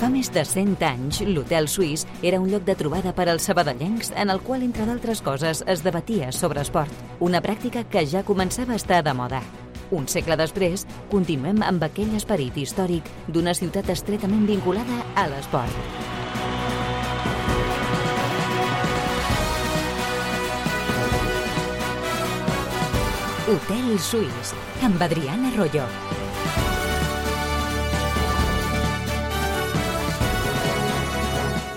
Fa més de 100 anys, l'Hotel Suís era un lloc de trobada per als sabadellencs en el qual, entre d'altres coses, es debatia sobre esport, una pràctica que ja començava a estar de moda. Un segle després, continuem amb aquell esperit històric d'una ciutat estretament vinculada a l'esport. Hotel Suís, amb Adriana Royo.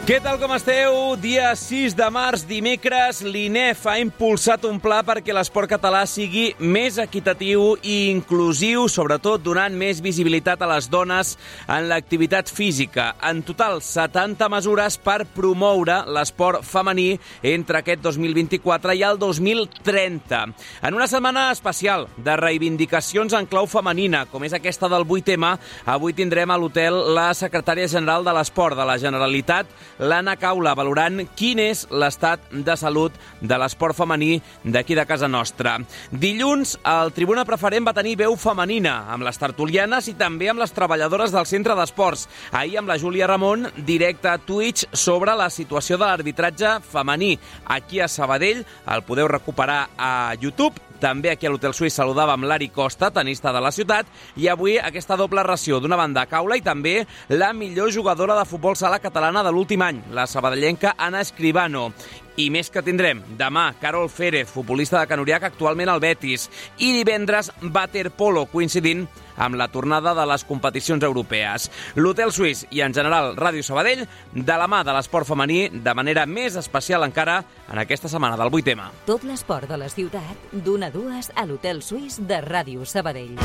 Què tal, com esteu? Dia 6 de març, dimecres, l'INEF ha impulsat un pla perquè l'esport català sigui més equitatiu i inclusiu, sobretot donant més visibilitat a les dones en l'activitat física. En total, 70 mesures per promoure l'esport femení entre aquest 2024 i el 2030. En una setmana especial de reivindicacions en clau femenina, com és aquesta del 8M, avui tindrem a l'hotel la secretària general de l'Esport de la Generalitat, l'Anna Caula, valorant quin és l'estat de salut de l'esport femení d'aquí de casa nostra. Dilluns, el Tribuna Preferent va tenir veu femenina, amb les tertulianes i també amb les treballadores del centre d'esports. Ahir, amb la Júlia Ramon, directe a Twitch sobre la situació de l'arbitratge femení. Aquí a Sabadell el podeu recuperar a YouTube. També aquí a l'Hotel Suís saludàvem l'Ari Costa, tenista de la ciutat, i avui aquesta doble ració, d'una banda Caula i també la millor jugadora de futbol sala catalana de l'últim any, la sabadellenca Ana Escribano. I més que tindrem demà Carol Férez, futbolista de Can Uriach, actualment al Betis, i divendres waterpolo, coincidint amb la tornada de les competicions europees. L'Hotel Suís i, en general, Ràdio Sabadell, de la mà de l'esport femení, de manera més especial encara en aquesta setmana del 8M. Tot l'esport de la ciutat, d'1 a 2 a l'Hotel Suís de Ràdio Sabadell.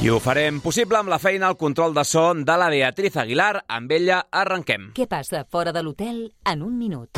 I ho farem possible amb la feina al control de so de la Beatriz Aguilar. Amb ella arrenquem. Què passa fora de l'hotel en un minut?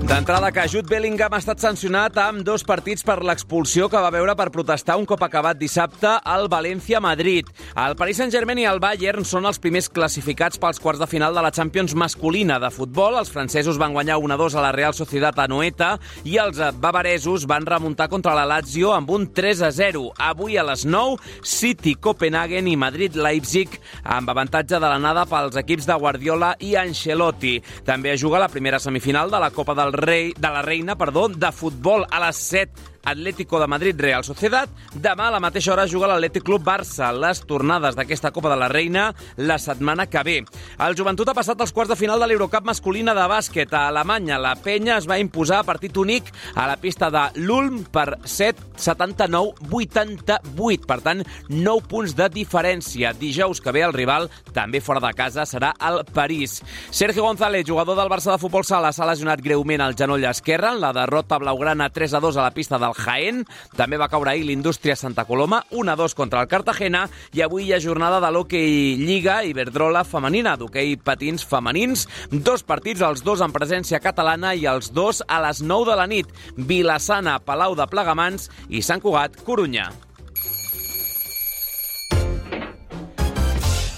D'entrada, que Jude Bellingham ha estat sancionat amb 2 partits per l'expulsió que va veure per protestar un cop acabat dissabte al València-Madrid. El Paris Saint-Germain i el Bayern són els primers classificats pels quarts de final de la Champions masculina de futbol. Els francesos van guanyar 1-2 a la Real Sociedad a Noeta i els bavaresos van remuntar contra la Lazio amb un 3-0. Avui a les 9, City, Copenhagen i Madrid-Leipzig amb avantatge de l'anada pels equips de Guardiola i Ancelotti. També es juga la primera semifinal de la Copa de la Reina de futbol a les 7. Atlético de Madrid, Real Sociedad. Demà a la mateixa hora juga l'Atlètic Club Barça. Les tornades d'aquesta Copa de la Reina la setmana que ve. El Joventut ha passat als quarts de final de l'Eurocup masculina de bàsquet. A Alemanya, la Penya es va imposar a partit únic a la pista de l'Ulm per 79-88. Per tant, 9 punts de diferència. Dijous que ve el rival, també fora de casa, serà el París. Sergio González, jugador del Barça de futbol sala, s'ha lesionat greument al genoll esquerre en la derrota blaugrana 3-2 a la pista del Jaén. També va caure ahir l'Indústria Santa Coloma, 1-2 contra el Cartagena, i avui hi ha jornada de l'hoquei Lliga Iberdrola femenina, d'hoquei patins femenins. 2 partits, els 2 en presència catalana i els 2 a les 9 de la nit. Vilassana, Palau de Plegamans i Sant Cugat, Corunya.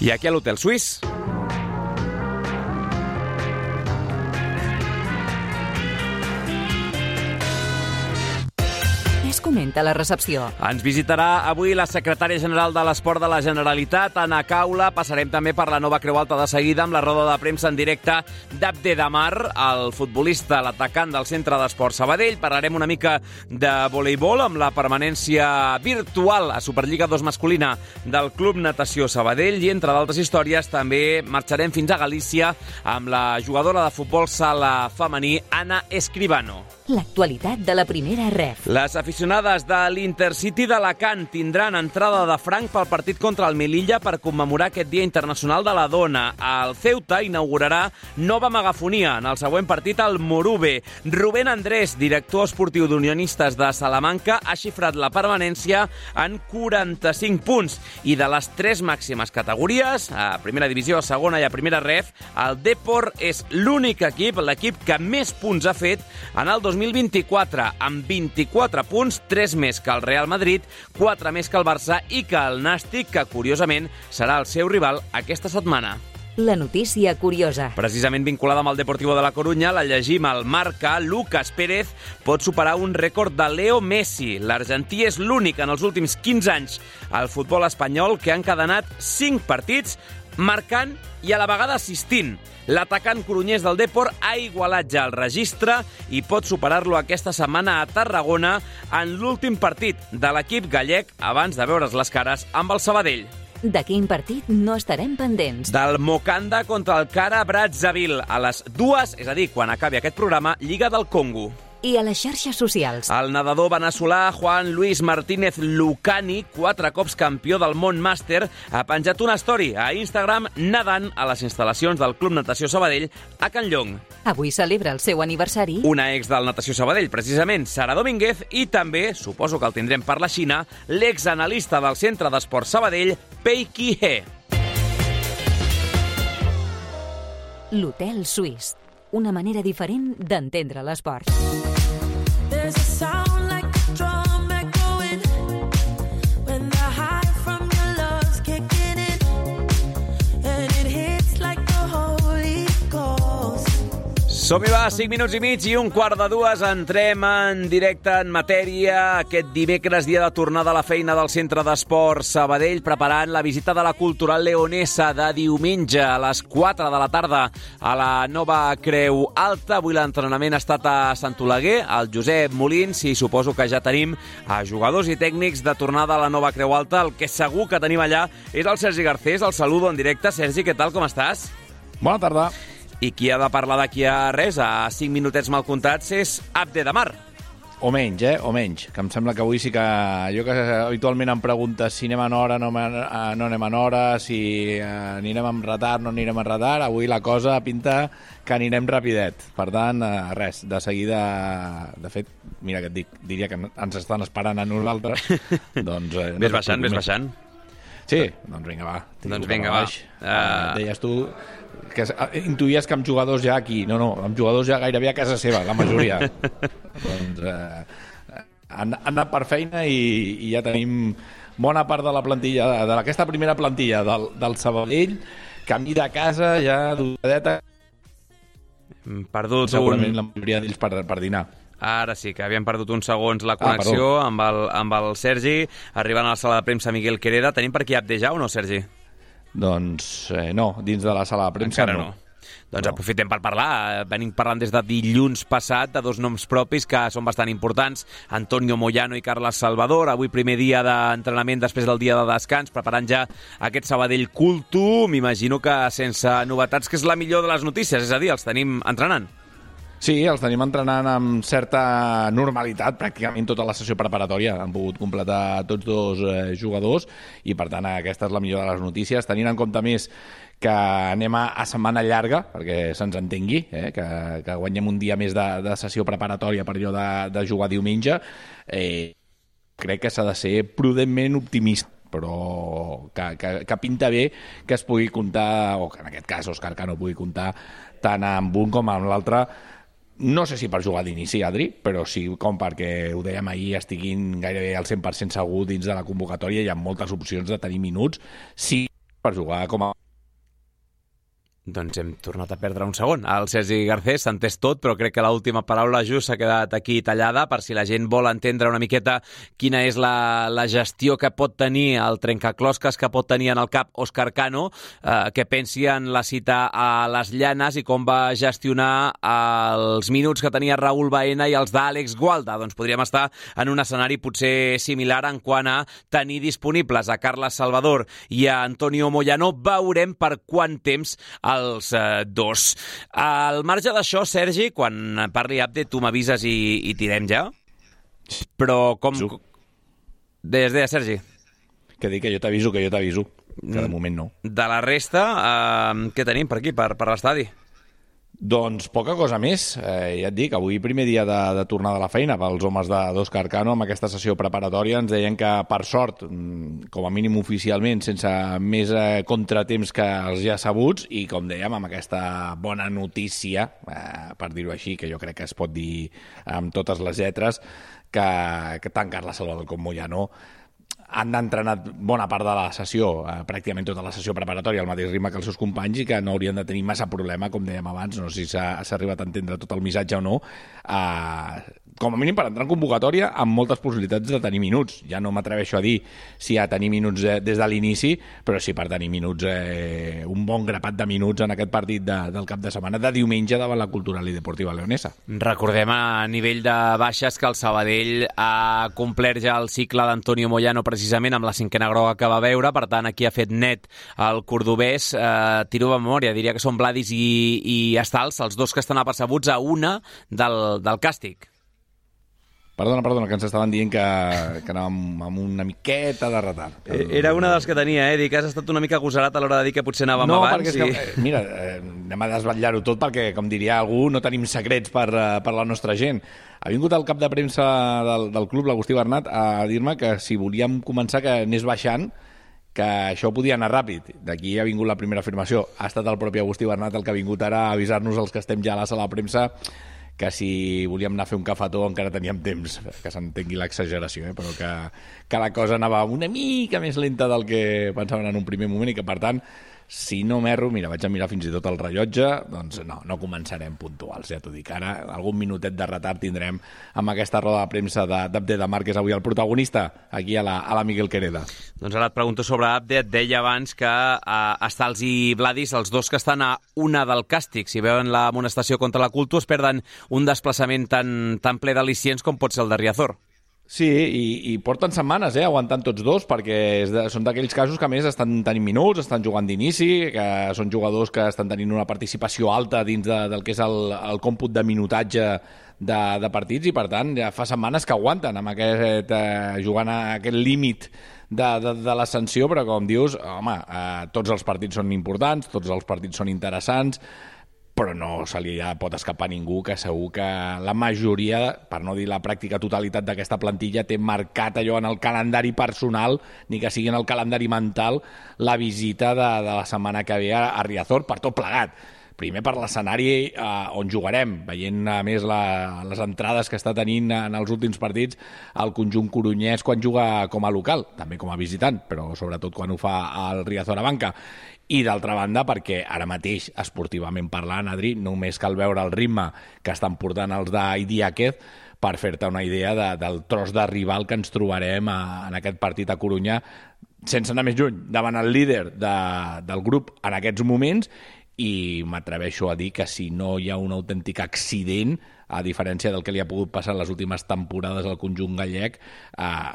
I aquí a l'Hotel Suís. Comenta la recepció. Ens visitarà avui la secretària general de l'Esport de la Generalitat, Anna Caula. Passarem també per la nova Creu Alta de seguida amb la roda de premsa en directe d'Abdedamar, el futbolista, l'atacant del Centre d'Esport Sabadell. Parlarem una mica de voleibol amb la permanència virtual a Superliga 2 masculina del Club Natació Sabadell i, entre d'altres històries, també marxarem fins a Galícia amb la jugadora de futbol sala femení, Ana Escribano. L'actualitat de la primera ref. Les aficionades de l'Intercity d'Alacant tindran entrada de franc pel partit contra el Melilla per commemorar aquest Dia Internacional de la Dona. El Ceuta inaugurarà nova megafonia en el següent partit al Morube. Rubén Andrés, director esportiu d'Unionistes de Salamanca, ha xifrat la permanència en 45 punts. I de les 3 màximes categories, a primera divisió, a segona i a primera ref, el Depor és l'únic equip, l'equip que més punts ha fet en el 2024, amb 24 punts, 3 més que el Real Madrid, 4 més que el Barça i que el Nàstic, que curiosament serà el seu rival aquesta setmana. La notícia curiosa. Precisament vinculada amb el Deportivo de la Corunya, la llegim al Marca. Lucas Pérez pot superar un rècord de Leo Messi. L'argentí és l'únic en els últims 15 anys al futbol espanyol que ha encadenat 5 partits marcant i a la vegada assistint. L'atacant corunyès del Depor ha igualat ja el registre i pot superar-lo aquesta setmana a Tarragona en l'últim partit de l'equip gallec abans de veure's les cares amb el Sabadell. De quin partit no estarem pendents? Del Mokanda contra el Kara Brazzaville a les 2, és a dir, quan acabi aquest programa, Lliga del Congo. I a les xarxes socials. El nedador veneçolà Juan Luis Martínez Lucani, 4 cops campió del món màster, ha penjat una story a Instagram nedant a les instal·lacions del Club Natació Sabadell a Can Llong. Avui celebra el seu aniversari. Una ex del Natació Sabadell, precisament, Sara Domínguez, i també, suposo que el tindrem per la Xina, l'exanalista del Centre d'Esport Sabadell, Pei Qui-he. L'Hotel Suís. Una manera diferent d'entendre l'esport. Som-hi va, 5 minuts i mig i 1:15. Entrem en directe en matèria aquest dimecres, dia de tornada a la feina del Centre d'Esport Sabadell, preparant la visita de la Cultural Leonesa de diumenge a les 4 de la tarda a la nova Creu Alta. Avui l'entrenament ha estat a Sant Oleguer, al Josep Molins, i suposo que ja tenim a jugadors i tècnics de tornada a la nova Creu Alta. El que segur que tenim allà és el Sergi Garcés. El saludo en directe. Sergi, què tal, com estàs? Bona tarda. I qui ha de parlar d'aquí a res, a 5 minutets mal comptats, és Abde Damar. O menys, o menys. Que em sembla que avui sí que... Jo que habitualment em preguntes si anem en hora, no anem en hora, si anirem amb retard, no anirem en retard. Avui la cosa pinta que anirem rapidet. Per tant, res, de seguida... De fet, mira què et dic, diria que ens estan esperant a nosaltres. Doncs, Ves baixant. Sí, doncs vinga, va. Doncs vinga, va. Deies tu... que intuïes que amb jugadors ja aquí, no, amb jugadors ja gairebé a casa seva, la majoria. Doncs han anat per feina i ja tenim bona part de la plantilla, d'aquesta primera plantilla del Sabadell, camí de casa, ja d'horadeta. Perdut segurament la majoria d'ells per dinar. Ara sí, que havien perdut uns segons la connexió amb el Sergi, arribant a la sala de premsa Miguel Quereda. Tenim per aquí Abde ja o no, Sergi? Doncs no, dins de la sala de premsa encara no. Doncs aprofitem per parlar. Venim parlant des de dilluns passat de 2 noms propis que són bastant importants, Antonio Moyano i Carles Salvador. Avui primer dia d'entrenament després del dia de descans, preparant ja aquest Sabadell Cultu. M'imagino que sense novetats, que és la millor de les notícies, és a dir, els tenim entrenant. Sí, els tenim entrenant amb certa normalitat, pràcticament tota la sessió preparatòria. Han pogut completar tots 2 jugadors i, per tant, aquesta és la millor de les notícies. Tenint en compte més que anem a setmana llarga, perquè se'ns entengui, que guanyem un dia més de sessió preparatòria per allò de jugar diumenge, crec que s'ha de ser prudentment optimista, però que pinta bé que es pugui comptar, o que en aquest cas Òscar Cano pugui comptar tant amb un com amb l'altre. No sé si per jugar d'inici, Adri, però sí com perquè, ho dèiem ahir, estiguin gairebé al 100% segur dins de la convocatòria. Hi ha moltes opcions de tenir minuts, sí, per jugar com a... Doncs hem tornat a perdre un segon. El Sergi Garcés s'ha entès tot, però crec que l'última paraula just s'ha quedat aquí tallada, per si la gent vol entendre una miqueta quina és la gestió que pot tenir, el trencaclosques que pot tenir en el cap Òscar Cano, que pensi en la cita a les Llanes i com va gestionar els minuts que tenia Raúl Baena i els d'Àlex Gualda. Doncs podríem estar en un escenari potser similar en quant a tenir disponibles a Carles Salvador i a Antonio Moyano. Veurem per quant temps els 2. Al marge d'això, Sergi, quan parli Abde, tu m'avises i tirem ja. Però com... Deies, Sergi. Que dic que jo t'aviso, que de moment no. De la resta, què tenim per aquí, per l'estadi? Doncs poca cosa més. Ja et dic, avui primer dia de tornada a la feina pels homes d'Òscar Cano amb aquesta sessió preparatòria. Ens deien que, per sort, com a mínim oficialment, sense més contratemps que els ja sabuts, i com dèiem, amb aquesta bona notícia, per dir-ho així, que jo crec que es pot dir amb totes les lletres, que tant Carles Salvador com Moyano han entrenat bona part de la sessió, pràcticament tota la sessió preparatòria al mateix ritme que els seus companys i que no haurien de tenir massa problema, com dèiem abans, no sé si s'ha arribat a entendre tot el missatge o no, com a mínim per entrar en convocatòria amb moltes possibilitats de tenir minuts. Ja no m'atreveixo a dir si a tenir minuts des de l'inici, però sí per tenir minuts, un bon grapat de minuts en aquest partit del cap de setmana de diumenge davant la Cultural i Deportiva Leonesa. Recordem a nivell de baixes que el Sabadell ha complert ja el cicle d'Antonio Moyano precisament amb la 5a groga que va veure, per tant aquí ha fet net el cordobès. Tiro de memòria, diria que són Vladis i Estals, els dos que estan apercebuts a una del càstig. Perdona, que ens estaven dient que anàvem amb una miqueta de retard. Era una dels que tenia, dic que has estat una mica agosarat a l'hora de dir que potser anàvem abans. No, perquè mira, anem a desvetllar-ho tot perquè, com diria algú, no tenim secrets per la nostra gent. Ha vingut el cap de premsa del club, l'Agustí Bernat, a dir-me que si volíem començar que anés baixant, que això podia anar ràpid. D'aquí ha vingut la primera afirmació. Ha estat el propi Agustí Bernat el que ha vingut ara a avisar-nos els que estem ja a la sala de premsa que si volíem anar a fer un cafetó encara teníem temps, que s'entengui l'exageració, però que la cosa anava una mica més lenta del que pensaven en un primer moment i que, per tant, si no m'erro, mira, vaig a mirar fins i tot el rellotge, doncs no començarem puntuals, ja t'ho dic. Ara algun minutet de retard tindrem amb aquesta roda de premsa d'Abde de Mar, que és avui el protagonista, aquí a la Miguel Quereda. Doncs ara et pregunto sobre Abde. Et deia abans que Estals i Vladis, els dos que estan a una del càstig, si veuen l'amonestació contra la Culto, es perden un desplaçament tan ple d'al·licients com pot ser el de Riazor. Sí, i porten setmanes aguantant tots dos, perquè són d'aquells casos que a més estan tenint minuts, estan jugant d'inici, que són jugadors que estan tenint una participació alta dins del que és el còmput de minutatge de partits i per tant ja fa setmanes que aguanten amb jugant a aquest límit de l'ascensió, però com dius, home, tots els partits són importants, tots els partits són interessants, però no se li pot escapar a ningú que segur que la majoria, per no dir la pràctica totalitat d'aquesta plantilla, té marcat allò en el calendari personal, ni que sigui en el calendari mental, la visita de la setmana que ve a Riazor, per tot plegat. Primer per l'escenari on jugarem, veient a més les entrades que està tenint en els últims partits el conjunt corunyès quan juga com a local, també com a visitant, però sobretot quan ho fa al Riazor a banca. I d'altra banda perquè ara mateix, esportivament parlant, Adri, només cal veure el ritme que estan portant els d'Idiáquez per fer-te una idea del tros de rival que ens trobarem en aquest partit a Corunyà, sense anar més lluny, davant el líder del grup en aquests moments, i m'atreveixo a dir que si no hi ha un autèntic accident, a diferència del que li ha pogut passar en les últimes temporades al conjunt gallec,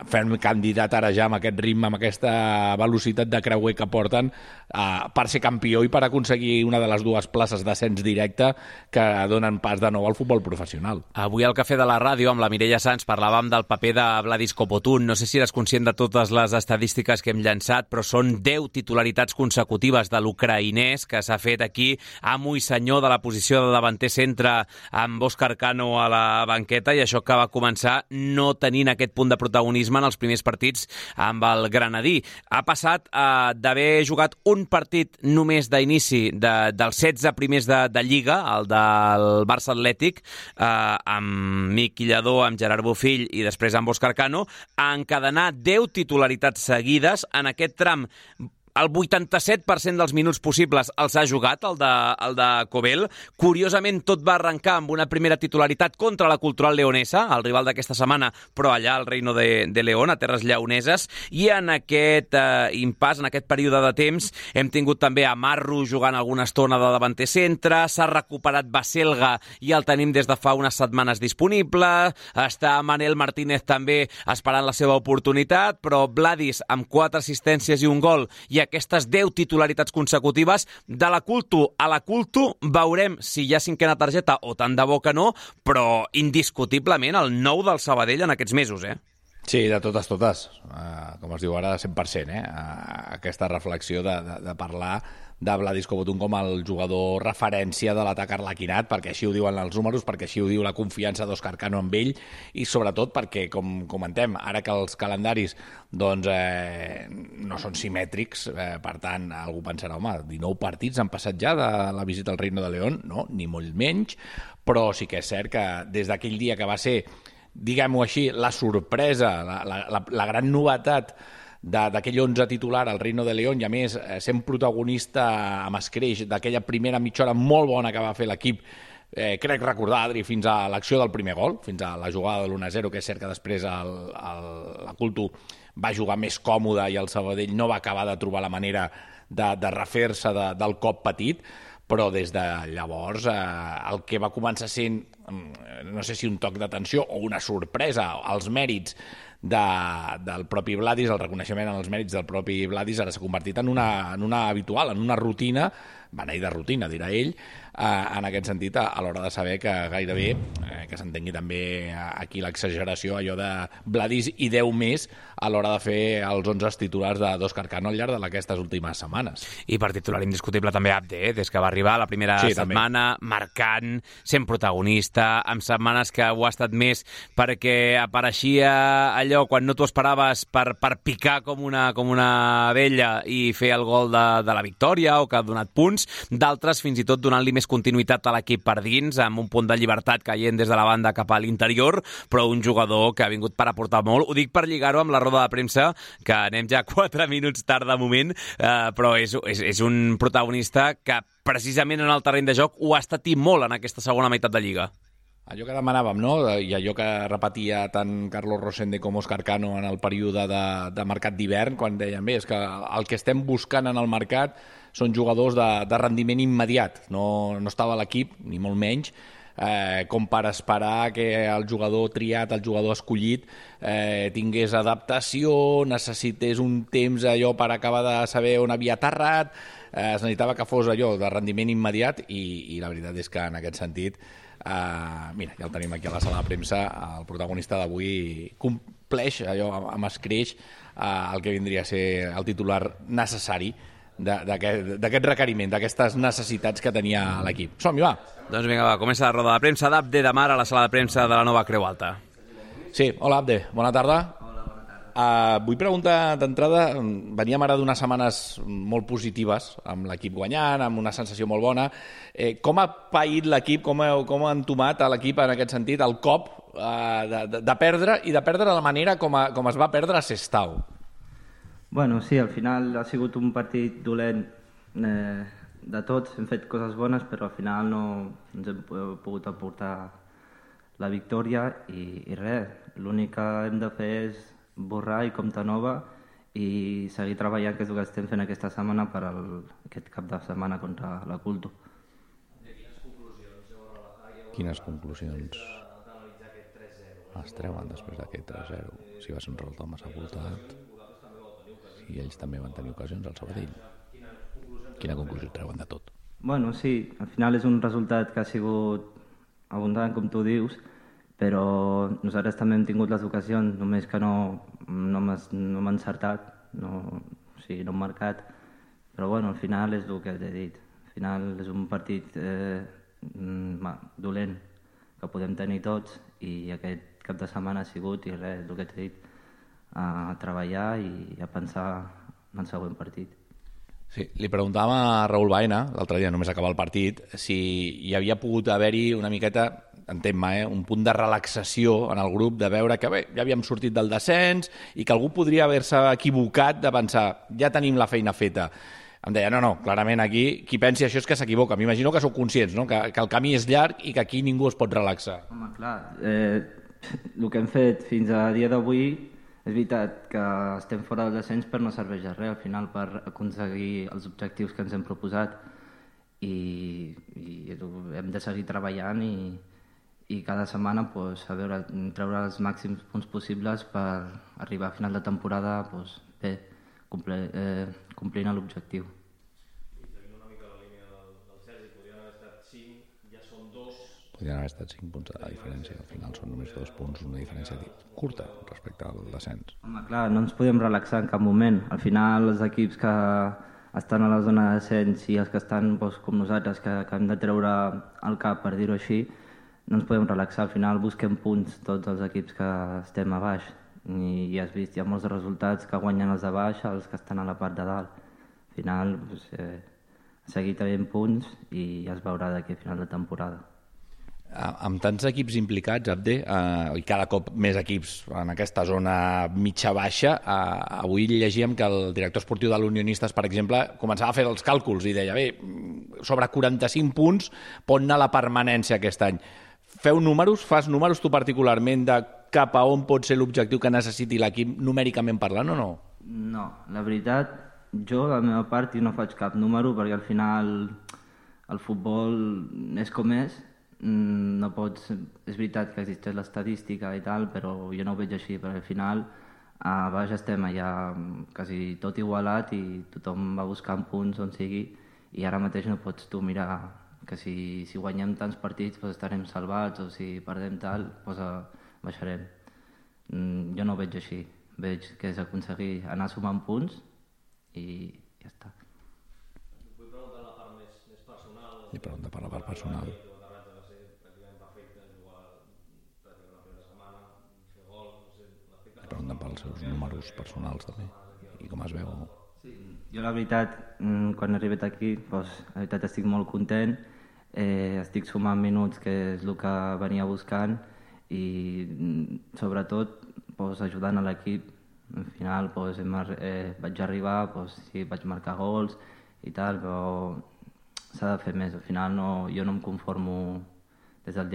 fem candidat ara ja amb aquest ritme, amb aquesta velocitat de creuer que porten, per ser campió i per aconseguir una de les dues places d'ascens directe que donen pas de nou al futbol professional. Avui al Cafè de la Ràdio, amb la Mireia Sans, parlàvem del paper de Vladis Copotún. No sé si eres conscient de totes les estadístiques que hem llançat, però són 10 titularitats consecutives de l'ucraïnès que s'ha fet aquí amo i senyor de la posició de davanter centre amb Òscar Cano a la banqueta, i això que va començar no tenint aquest punt de protagonisme en els primers partits amb el Granadí. Ha passat d'haver jugat un partit només d'inici dels 16 primers de Lliga, el del Barça Atlètic, amb Miqui Lladó, amb Gerard Bofill i després amb Òscar Cano, a encadenar 10 titularitats seguides en aquest tram. El 87% dels minuts possibles els ha jugat, el de Cobel. Curiosament, tot va arrencar amb una primera titularitat contra la Cultural Leonesa, el rival d'aquesta setmana, però allà al Reino de León, a terres lleoneses, i en aquest impàs, en aquest període de temps, hem tingut també a Marro jugant alguna estona de davanter centre, s'ha recuperat Baselga i el tenim des de fa unes setmanes disponible, està Manel Martínez també esperant la seva oportunitat, però Vladis amb 4 assistències i un gol, i aquestes 10 titularitats consecutives de la Culto a la Culto. Veurem si hi ha 5a targeta o tant de bo que no, però indiscutiblement el nou del Sabadell en aquests mesos, Sí, de totes. Com es diu ara, 100%, aquesta reflexió de parlar de Vladis Copotún com el jugador referència de l'atac arlequinat, perquè així ho diuen els números, perquè així ho diu la confiança d'Òscar Cano amb ell, i sobretot perquè, com comentem, ara que els calendaris doncs, no són simètrics, per tant, algú pensarà, home, 19 partits han passat ja de la visita al Reino de León, no, ni molt menys, però sí que és cert que des d'aquell dia que va ser, diguem-ho així, la sorpresa, la gran novetat d'aquell 11 titular al Reino de León i a més sent protagonista amb escreix d'aquella primera mitja hora molt bona que va fer l'equip, crec recordar, Adri, fins a l'acció del primer gol, fins a la jugada de l'1-0, que és cert que després la Culto va jugar més còmode i el Sabadell no va acabar de trobar la manera de refer-se del cop petit, però des de llavors el que va començar sent, no sé si un toc d'atenció o una sorpresa, els mèrits del propi Vladis, el reconeixement als mèrits del propi Vladis ara s'ha convertit en una habitual, en una rutina, beneïda rutina, dirà ell, en aquest sentit, a l'hora de saber que gairebé, que s'entengui també aquí l'exageració, allò de Vladis i 10 més a l'hora de fer els 11 titulars d'Òscar Cano al llarg d'aquestes últimes setmanes. I per titular indiscutible també Abde, des que va arribar la primera setmana, marcant, sent protagonista, amb setmanes que ho ha estat més perquè apareixia allò quan no t'ho esperaves per picar com una vella i fer el gol de la victòria o que ha donat punts, d'altres fins i tot donant-li més continuïtat a l'equip per dins, amb un punt de llibertat caient des de la banda cap a l'interior, però un jugador que ha vingut per aportar molt. Ho dic per lligar-ho amb la roda de premsa, que anem ja 4 minuts tard de moment, però és un protagonista que precisament en el terreny de joc ho ha estat i molt en aquesta segona meitat de Lliga. Allò que demanàvem, no? I allò que repetia tant Carlos Rosende com Òscar Cano en el període de mercat d'hivern, quan deien, bé, és que el que estem buscant en el mercat són jugadors de rendiment immediat. No estava l'equip, ni molt menys, com per esperar que el jugador triat, el jugador escollit, tingués adaptació, necessités un temps allò per acabar de saber on havia aterrat, es necessitava que fos allò de rendiment immediat i la veritat és que en aquest sentit, mira, ja el tenim aquí a la sala de premsa, el protagonista d'avui compleix allò amb escreix el que vindria a ser el titular necessari d'aquest requeriment, d'aquestes necessitats que tenia l'equip. Som-hi, va! Doncs vinga, va, comença la roda de premsa d'Abde de Mar a la sala de premsa de la nova Creu Alta. Sí, hola Abde, bona tarda. Hola, bona tarda. Vull preguntar d'entrada, veníem ara d'unes setmanes molt positives, amb l'equip guanyant, amb una sensació molt bona. Com ha paït l'equip, com ha entomat a l'equip en aquest sentit el cop de perdre i de perdre de la manera com es va perdre a Sestao? Bueno, sí, al final ha sigut un partit dolent de tots, hem fet coses bones, però al final no ens hem pogut aportar la victòria i res, l'únic que hem de fer és borrar i comptar nova i seguir treballant, que és el que estem fent aquesta setmana per aquest cap de setmana contra la Culto. Quines conclusions es treuen després d'aquest 3-0? Si va ser un resultat massa voltat i ells també van tenir ocasions al Sabadell. Quina conclusió treuen de tot? Bueno, sí, al final és un resultat que ha sigut abundant, com tu dius, però nosaltres també hem tingut les ocasions, només que no hem encertat, no hem marcat, però bueno, al final és el que t'he dit. Al final és un partit dolent que podem tenir tots i aquest cap de setmana ha sigut, i res, el que t'he dit, a treballar i a pensar en el següent partit. Sí, li preguntàvem a Raül Baena, l'altre dia només acabar el partit, si hi havia pogut haver-hi una miqueta, entenc-me, un punt de relaxació en el grup, de veure que bé, ja havíem sortit del descens i que algú podria haver-se equivocat de pensar, ja tenim la feina feta. Em deia, no, clarament aquí, qui pensi això és que s'equivoca. M'imagino que sou conscients, no? Que el camí és llarg i que aquí ningú es pot relaxar. Home, clar, el que hem fet fins a dia d'avui és veritat que estem fora del descens, però no serveix de res al final per aconseguir els objectius que ens hem proposat i hem de seguir treballant i cada setmana a veure, treure els màxims punts possibles per arribar a final de temporada bé, complint l'objectiu. Podrien haver estat 5 punts de diferència, al final són només 2 punts, una diferència curta respecte al descens. Home, clar, no ens podem relaxar en cap moment. Al final els equips que estan a la zona de descens i els que estan com nosaltres, que hem de treure el cap, per dir-ho així, no ens podem relaxar. Al final busquem punts tots els equips que estem a baix i ja has vist, hi ha molts resultats que guanyen els de baix, els que estan a la part de dalt. Al final seguir tenint punts i ja es veurà d'aquí a final de temporada. Amb tants equips implicats, Abde, i cada cop més equips en aquesta zona mitja-baixa, avui llegíem que el director esportiu de l'Unionistes, per exemple, començava a fer els càlculs i deia, bé, sobre 45 punts pot anar la permanència aquest any. Fas números tu particularment de cap a on pot ser l'objectiu que necessiti l'equip numèricament parlant o no? No, la veritat, jo, la meva part, no faig cap número perquè al final el futbol és com és. No pots... És veritat que existeix l'estadística i tal, però jo no ho veig així, perquè al final a baix estem allà quasi tot igualat i tothom va buscant punts on sigui i ara mateix no pots tu mirar que si guanyem tants partits doncs estarem salvats o si perdem tal, doncs baixarem. Jo no ho veig així, veig que és aconseguir anar sumant punts i ja està. Vull preguntar la part més personal. I pregunta per la part personal. I pregunten pels seus números personals també i com es veu. Sí, jo la veritat, quan he arribat aquí, doncs, la veritat estic molt content, estic sumant minuts que és el que venia buscant i sobretot doncs, ajudant a l'equip. Al final doncs, vaig arribar, doncs, sí, vaig marcar gols i tal, però s'ha de fer més. Al final jo no em conformo des del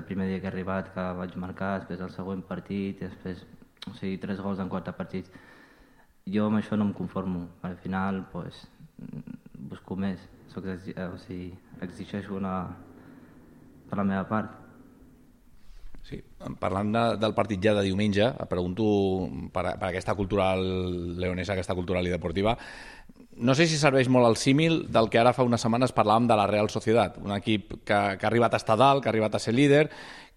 primer dia que he arribat, que vaig marcar, després el següent partit, després 3 gols en 4 partits. Jo amb això no em conformo. Al final doncs, busco més. Exigeixo per la meva part. Sí, parlant del partit ja de diumenge, pregunto per aquesta cultural leonesa, aquesta cultural i deportiva, no sé si serveix molt el símil del que ara fa unes setmanes parlàvem de la Real Sociedad, un equip que ha arribat a estar dalt, que ha arribat a ser líder,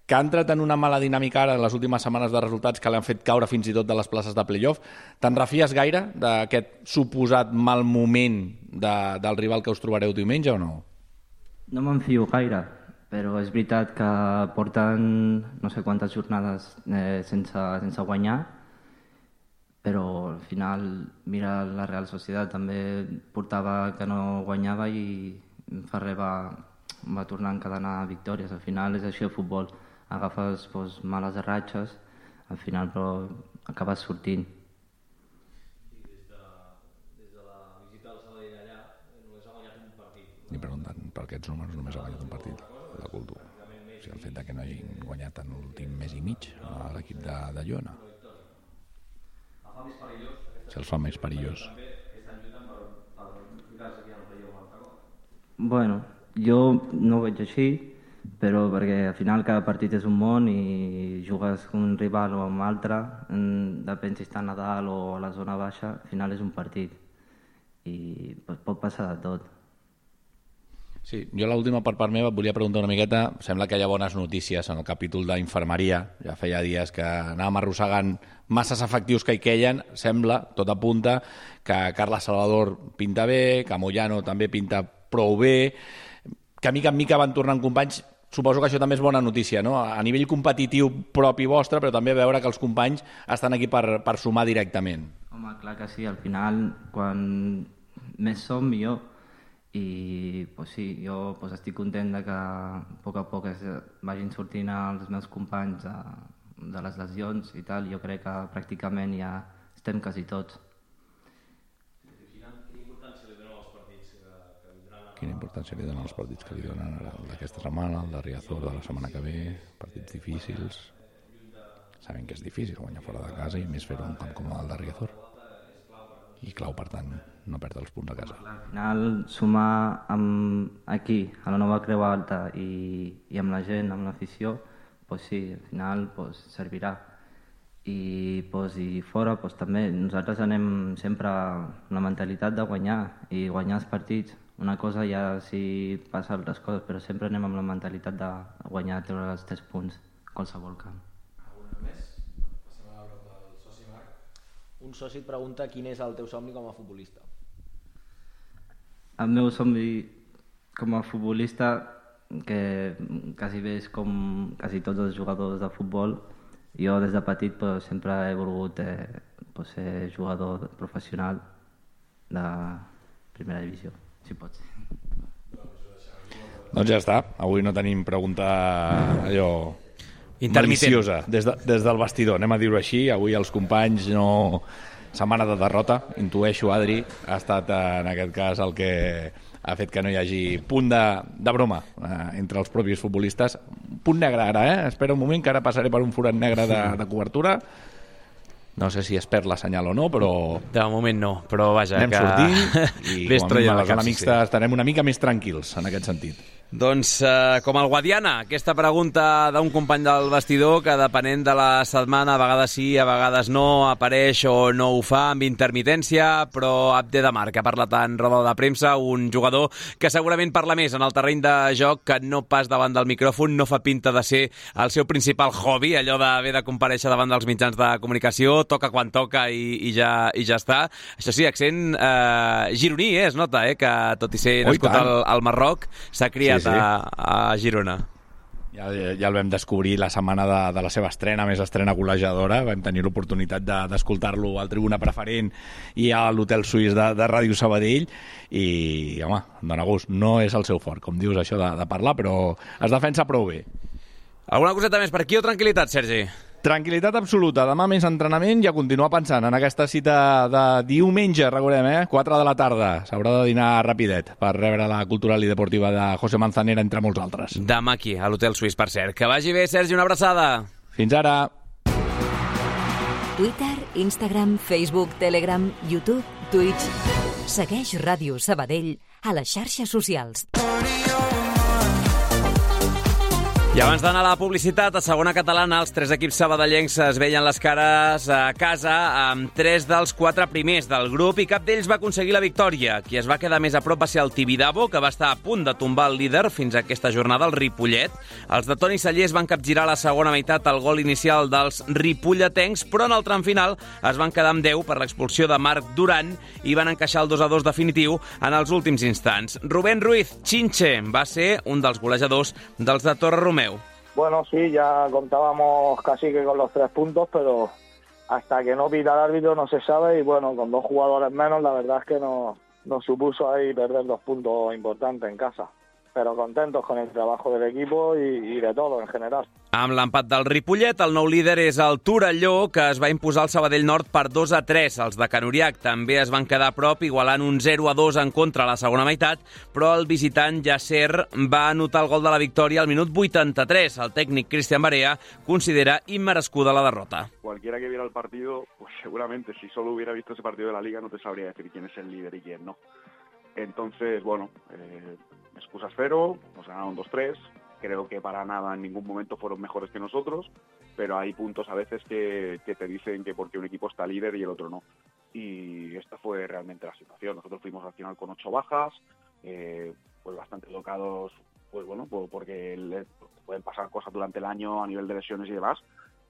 que ha entrat en una mala dinàmica ara en les últimes setmanes de resultats que l'han fet caure fins i tot de les places de playoff. Te'n refies gaire d'aquest suposat mal moment del rival que us trobareu diumenge o no? No me'n fio gaire, però és veritat que porten no sé quantes jornades sense guanyar, però al final, mira, la Real Sociedad també portava que no guanyava i Ferrer va tornar a encadenar victòries. Al final és així el futbol. Agafes males ratxes, al final però acabes sortint. I des de la visita al Sabadell allà només ha guanyat un partit. I preguntant per aquests números només ha guanyat un partit, la cultura. O sigui, el fet que no hagin guanyat en l'últim mes i mig a l'equip de Llona. Si els fa més perillós. Bueno, jo no ho veig així, però perquè al final cada partit és un món i jugues amb un rival o amb altre, depèn si està a Nadal o a la zona baixa, al final és un partit i pot passar de tot. Sí, jo l'última per part meva et volia preguntar una miqueta, sembla que hi ha bones notícies en el capítol d'infermeria, ja feia dies que anàvem arrossegant masses efectius que hi queien, sembla, tot apunta, que Carles Salvador pinta bé, que Moyano també pinta prou bé, que mica en mica van tornant companys. Suposo que això també és bona notícia, no? A nivell competitiu propi vostre, però també veure que els companys estan aquí per sumar directament. Home, clar que sí, al final, quan més som, millor. I pues sí, jo pues, estic content de que a poc vagin sortint els meus companys de les lesions i tal. Jo crec que pràcticament ja estem quasi tots. Quina importància li donen els partits que vindran? Quina importància li donen els partits que li donen ara, el d'aquesta setmana, el de Riazor de la setmana que ve, partits difícils. Saben que és difícil guanyar fora de casa i més fer-ho un camp com el de Riazor. I clau, per tant, no perdre els punts a casa. Al final, sumar aquí, a la nova Creu Alta i amb la gent, amb l'afició, pues sí, al final pues, servirà. I fora pues, també nosaltres anem sempre amb la mentalitat de guanyar i guanyar els partits. Una cosa ja si passa altres coses, però sempre anem amb la mentalitat de guanyar, treure els 3 punts a qualsevol camp. Alguna més? Passem a veure el soci Marc. Un soci et pregunta quin és el teu somni com a futbolista. El meu somni com a futbolista, que quasi bé és com quasi tots els jugadors de futbol, jo des de petit pues, sempre he volgut pues, ser jugador professional de primera divisió, si pot ser. Doncs ja està. Avui no tenim pregunta allò intermitent, maliciosa des del vestidor, anem a dir-ho així. Avui els companys no... Setmana de derrota, intueixo, Adri, ha estat en aquest cas el que ha fet que no hi hagi punt de broma entre els propis futbolistes. Punt negre ara, Espera un moment, que ara passaré per un forat negre de cobertura. No sé si es perd la senyal o no, però... De moment no, però vaja, anem sortint i com a mínim a la zona mixta estarem una mica més tranquils en aquest sentit. Doncs, com el Guadiana, aquesta pregunta d'un company del vestidor que, depenent de la setmana, a vegades sí, a vegades no, apareix o no ho fa amb intermitència, però Abde de Mar, que ha parlat en roda de premsa, un jugador que segurament parla més en el terreny de joc que no pas davant del micròfon, no fa pinta de ser el seu principal hobby, allò d'haver de comparèixer davant dels mitjans de comunicació, toca quan toca i ja està. Això sí, accent gironí, es nota, que tot i ser nascut al Marroc, s'ha criat a Girona. Ja el vam descobrir la setmana de la seva estrena, més estrena golejadora. Vam tenir l'oportunitat d'escoltar-lo al Tribuna Preferent i a l'Hotel Suís de Ràdio Sabadell i, home, dona gust. No és el seu fort, com dius, això de parlar, però es defensa prou bé. Alguna coseta més per aquí o tranquil·litat, Sergi? Tranquil·litat absoluta. Demà més entrenament i a continuar pensant en aquesta cita de diumenge, recordem, 4 de la tarda. S'haurà de dinar rapidet per rebre la cultural i deportiva de José Manzanera, entre molts altres. Demà aquí, a l'Hotel Suís, per cert. Que vagi bé, Sergi, una abraçada. Fins ara. Twitter, Instagram, Facebook, Telegram, YouTube, Twitch. Segueix Ràdio Sabadell a les xarxes socials. I abans d'anar a la publicitat, a segona catalana, els 3 equips sabadellencs es veien les cares a casa amb 3 dels 4 primers del grup i cap d'ells va aconseguir la victòria. Qui es va quedar més a prop va ser el Tibidabo, que va estar a punt de tombar el líder fins a aquesta jornada, el Ripollet. Els de Toni Sallés van capgirar la segona meitat al gol inicial dels ripolletencs, però en el tram final es van quedar amb 10 per l'expulsió de Marc Duran i van encaixar el 2-2 definitiu en els últims instants. Rubén Ruiz, Chinche, va ser un dels golejadors dels de Torre Romeu. Bueno, sí, ya contábamos casi que con los 3 puntos, pero hasta que no pita el árbitro no se sabe y bueno, con 2 jugadores menos la verdad es que nos supuso ahí perder 2 puntos importantes en casa. Però contentos con el trabajo del equipo y de todo en general. Amb l'empat del Ripollet, el nou líder és el Torelló, que es va imposar al Sabadell Nord per 2-3. Els de Canuriac també es van quedar a prop, igualant un 0-2 en contra a la segona meitat, però el visitant Yasser va anotar el gol de la victòria al minut 83. El tècnic Cristian Barea considera immerescuda la derrota. Cualquiera que viera el partido, pues seguramente si solo hubiera visto ese partido de la Liga no te sabría decir quién es el líder y quién no. Entonces, bueno, excusas cero, nos ganaron 2-3, creo que para nada en ningún momento fueron mejores que nosotros, pero hay puntos a veces que te dicen que porque un equipo está líder y el otro no. Y esta fue realmente la situación. Nosotros fuimos al final con 8 bajas, pues bastante tocados, pues bueno, porque pueden pasar cosas durante el año a nivel de lesiones y demás,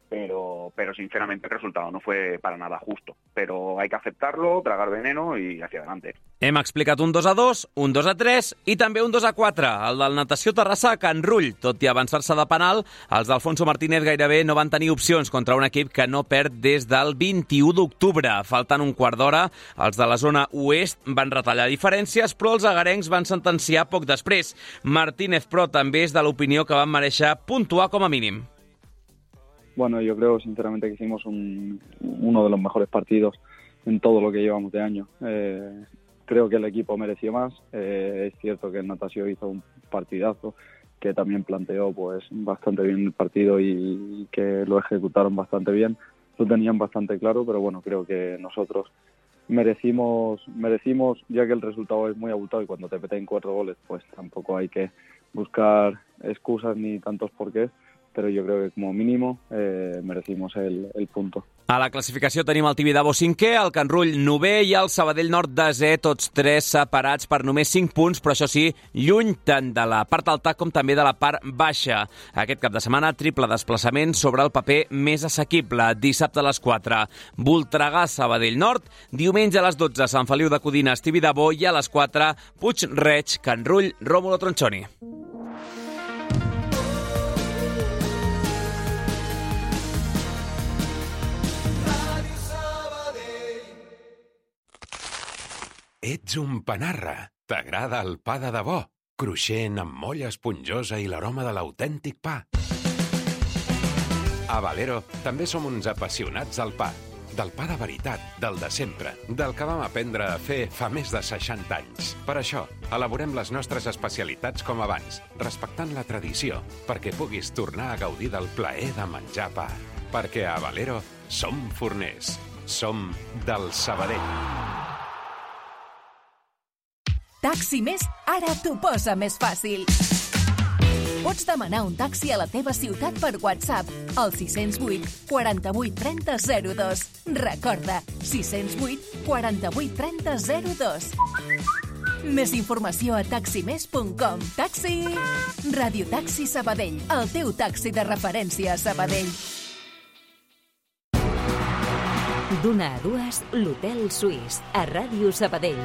pero sinceramente el resultado no fue para nada justo. Pero hay que aceptarlo, tragar veneno y hacia adelante. Hem explicat un 2-2, un 2-3 i també un 2-4. El del Natació Terrassa a Can Rull. Tot i avançar-se de penal, els d'Alfonso Martínez gairebé no van tenir opcions contra un equip que no perd des del 21 d'octubre. Faltant un quart d'hora, els de la zona oest van retallar diferències, però els agarencs van sentenciar poc després. Martínez, però, també és de l'opinió que van mereixer puntuar com a mínim. Bueno, yo creo sinceramente que hicimos uno de los mejores partidos en todo lo que llevamos de año. Creo que el equipo mereció más. Es cierto que el Natació hizo un partidazo que también planteó pues bastante bien el partido y que lo ejecutaron bastante bien. Lo tenían bastante claro, pero bueno, creo que nosotros merecimos, ya que el resultado es muy abultado y cuando te meten 4 goles, pues tampoco hay que buscar excusas ni tantos porqués. Però jo crec que com a mínim merecimos el punto. A la classificació tenim el Tibidabo 5è, el Can Rull 9è i el Sabadell Nord 10è, tots 3 separats per només 5 punts, però això sí, lluny tant de la part alta com també de la part baixa. Aquest cap de setmana, triple desplaçament sobre el paper més assequible. Dissabte a les 4, Voltregà, Sabadell Nord, diumenge a les 12, Sant Feliu de Codines, Tibidabo i a les 4, Puig-reig, Can Rull, Rómulo Tronchoni. Ets un panarra. T'agrada el pa de debò. cruixent, amb molla esponjosa i l'aroma de l'autèntic pa. A Valero també som uns apassionats del pa. Del pa de veritat, del de sempre, del que vam aprendre a fer fa més de 60 anys. Per això, elaborem les nostres especialitats com abans, respectant la tradició, perquè puguis tornar a gaudir del plaer de menjar pa. Perquè a Valero som forners. Som del Sabadell. Taxi Més ara t'ho posa més fàcil. Pots demanar un taxi a la teva ciutat per WhatsApp al 608 48 30 02. Recorda, 608 48 30 02. Més informació a taximes.com. Taxi! Radio Taxi Sabadell, el teu taxi de referència a Sabadell. D'una a dues, l'Hotel Suís, a Ràdio Sabadell.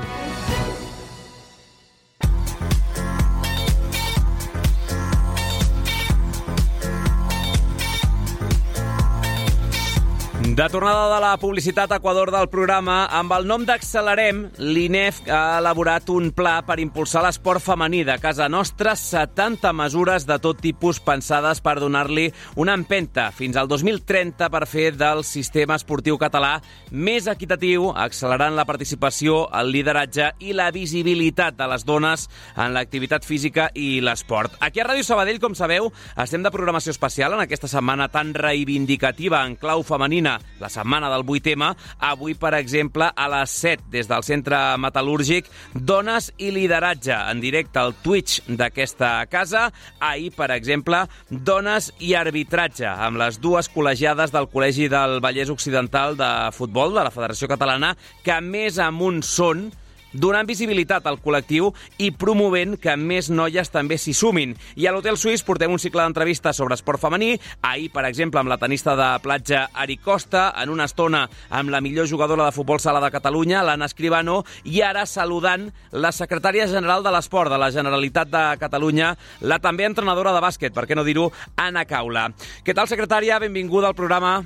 De tornada de la publicitat a Equador del programa, amb el nom d'Accelerem, l'INEF ha elaborat un pla per impulsar l'esport femení de casa nostra, 70 mesures de tot tipus pensades per donar-li una empenta fins al 2030 per fer del sistema esportiu català més equitatiu, accelerant la participació, el lideratge i la visibilitat de les dones en l'activitat física i l'esport. Aquí a Ràdio Sabadell, com sabeu, estem de programació especial en aquesta setmana tan reivindicativa en clau femenina, la setmana del 8M. Avui, per exemple, a les 7, des del Centre Metal·lúrgic, Dones i Lideratge, en directe al Twitch d'aquesta casa. Ahir, per exemple, Dones i Arbitratge, amb les dues col·legiades del Col·legi del Vallès Occidental de Futbol de la Federació Catalana, que més amunt són, donant visibilitat al col·lectiu i promovent que més noies també s'hi sumin. I a l'Hotel Suís portem un cicle d'entrevistes sobre esport femení. Ahir, per exemple, amb la tenista de platja Ari Costa, en una estona amb la millor jugadora de futbol sala de Catalunya, l'Anna Escribano, i ara saludant la secretària general de l'Esport de la Generalitat de Catalunya, la també entrenadora de bàsquet, per què no dir-ho, Anna Caula. Què tal, secretària? Benvinguda al programa.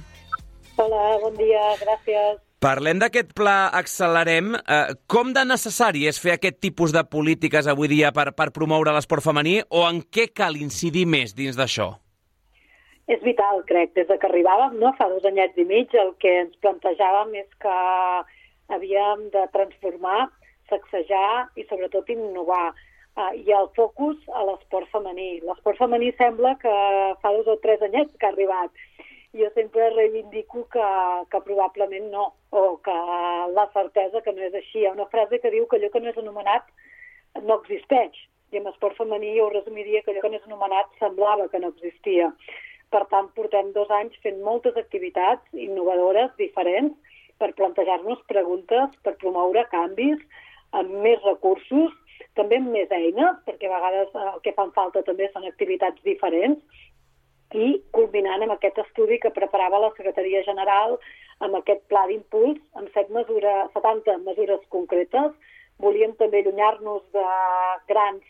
Hola, bon dia, gràcies. Parlem d'aquest pla Accelerem. Com de necessari és fer aquest tipus de polítiques avui dia per promoure l'esport femení, o en què cal incidir més dins d'això? És vital, crec. Des que arribàvem, fa 2 anyets i mig, el que ens plantejàvem és que havíem de transformar, sacsejar i sobretot innovar. I el focus a l'esport femení. L'esport femení sembla que fa 2 o 3 anyets que ha arribat. Jo sempre reivindico que probablement no, o que la certesa que no és així. Hi ha una frase que diu que allò que no és anomenat no existeix. I en esport femení jo ho resumiria que allò que no és anomenat semblava que no existia. Per tant, portem 2 anys fent moltes activitats innovadores, diferents, per plantejar-nos preguntes, per promoure canvis, amb més recursos, també amb més eines, perquè a vegades el que fan falta també són activitats diferents, i culminant amb aquest estudi que preparava la Secretaria General, amb aquest pla d'impuls, amb 70 mesures concretes. Volíem també allunyar-nos de grans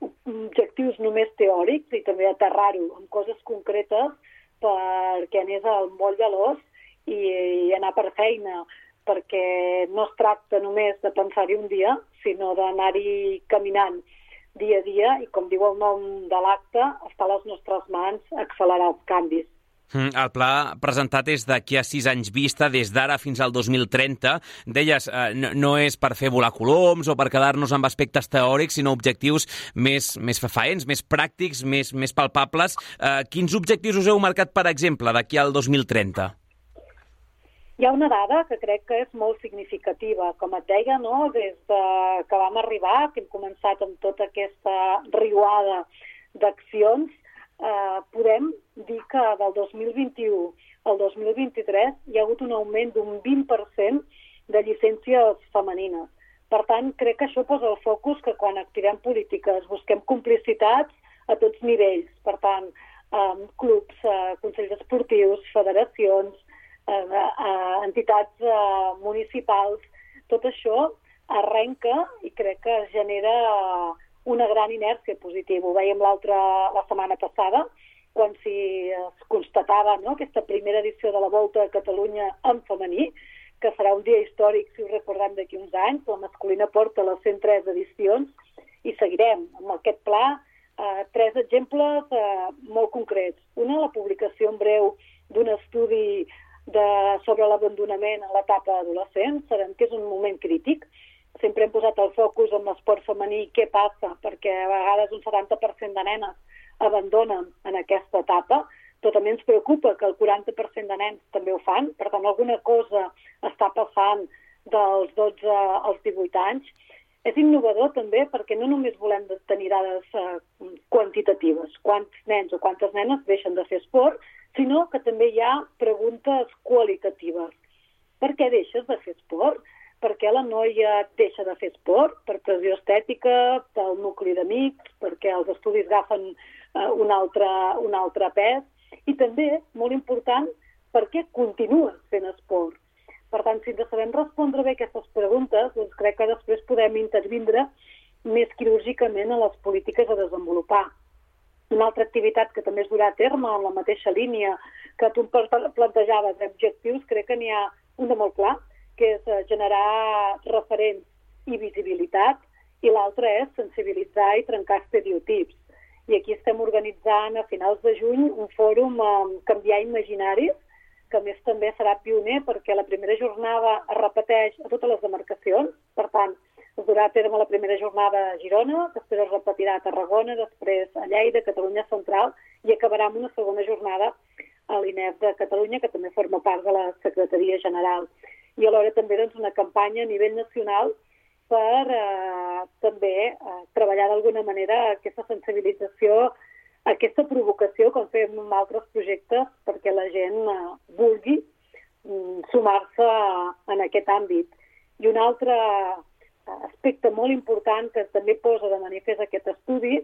objectius només teòrics i també aterrar-ho en coses concretes perquè anés al moll de l'os i anar per feina, perquè no es tracta només de pensar-hi un dia, sinó d'anar-hi caminant dia a dia, i com diu el nom de l'acte, està a les nostres mans accelerar els canvis. El pla presentat és d'aquí a 6 anys vista, des d'ara fins al 2030. Deies, no és per fer volar coloms o per quedar-nos amb aspectes teòrics, sinó objectius més fefaents, més pràctics, més palpables. Quins objectius us heu marcat, per exemple, d'aquí al 2030? Hi ha una dada que crec que és molt significativa. Com et deia, des que vam arribar, que hem començat amb tota aquesta riuada d'accions, podem dir que del 2021 al 2023 hi ha hagut un augment d'un 20% de llicències femenines. Per tant, crec que això posa el focus que quan activem polítiques busquem complicitats a tots nivells. Per tant, clubs, consells esportius, federacions, entitats municipals, tot això arrenca i crec que genera una gran inèrcia positiva. Ho veiem la setmana passada, quan es constatava aquesta primera edició de la Volta a Catalunya en femení, que serà un dia històric, si ho recordem, d'aquí uns anys. La masculina porta les 103 edicions i seguirem amb aquest pla. 3 exemples molt concrets. Una, la publicació en breu d'un estudi sobre l'abandonament en l'etapa adolescent. Sabem que és un moment crític. Sempre hem posat el focus en l'esport femení, què passa, perquè a vegades un 70% de nenes abandonen en aquesta etapa, però també ens preocupa que el 40% de nens també ho fan, per tant alguna cosa està passant dels 12 als 18 anys. És innovador també perquè no només volem tenir dades quantitatives, quants nens o quantes nenes deixen de fer esport, sinó que també hi ha preguntes qualitatives. Per què deixes de fer esport? Per què la noia deixa de fer esport? Per pressió estètica, pel nucli d'amics, perquè els estudis agafen un altre pes. I també, molt important, per què continues fent esport? Per tant, si ens sabem respondre bé aquestes preguntes, doncs crec que després podem intervindre més quirúrgicament a les polítiques a desenvolupar. Una altra activitat que també es durà a terme en la mateixa línia que tu plantejaves d'objectius, crec que n'hi ha un de molt clar, que és generar referents i visibilitat, i l'altre és sensibilitzar i trencar estereotips. I aquí estem organitzant a finals de juny un fòrum Canviar Imaginaris, que a més també serà pioner perquè la primera jornada es repeteix a totes les demarcacions. Per tant, es durà a terme la primera jornada a Girona, després es repetirà a Tarragona, després a Lleida, Catalunya Central, i acabarà amb una segona jornada a l'INEF de Catalunya, que també forma part de la Secretaria General. I alhora també una campanya a nivell nacional per també treballar d'alguna manera aquesta sensibilització, aquesta provocació, com fem en altres projectes, perquè la gent vulgui sumar-se en aquest àmbit. I un altre aspecte molt important que també posa de manifest aquest estudi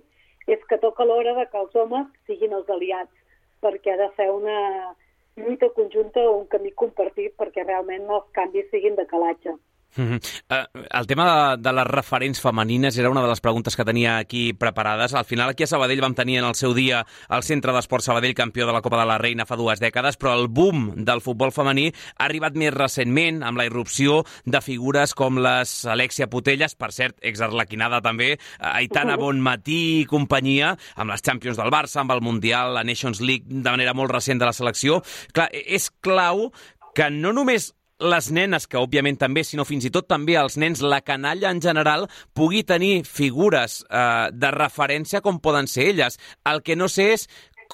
és que toca l'hora que els homes siguin els aliats, perquè ha de ser una lluita conjunta o un camí compartit perquè realment els canvis siguin de calatge. El tema de les referents femenines era una de les preguntes que tenia aquí preparades. Al final aquí a Sabadell vam tenir en el seu dia el Centre d'Esport Sabadell campió de la Copa de la Reina fa 2 dècades, però el boom del futbol femení ha arribat més recentment amb la irrupció de figures com les Alexia Putellas, per cert, exarlequinada també, Aitana Bonmatí i companyia, amb les Champions del Barça, amb el Mundial, la Nations League de manera molt recent de la selecció. Clar, és clau que no només les nenes, que òbviament també, sinó fins i tot també els nens, la canalla en general, pugui tenir figures de referència com poden ser elles. El que no sé és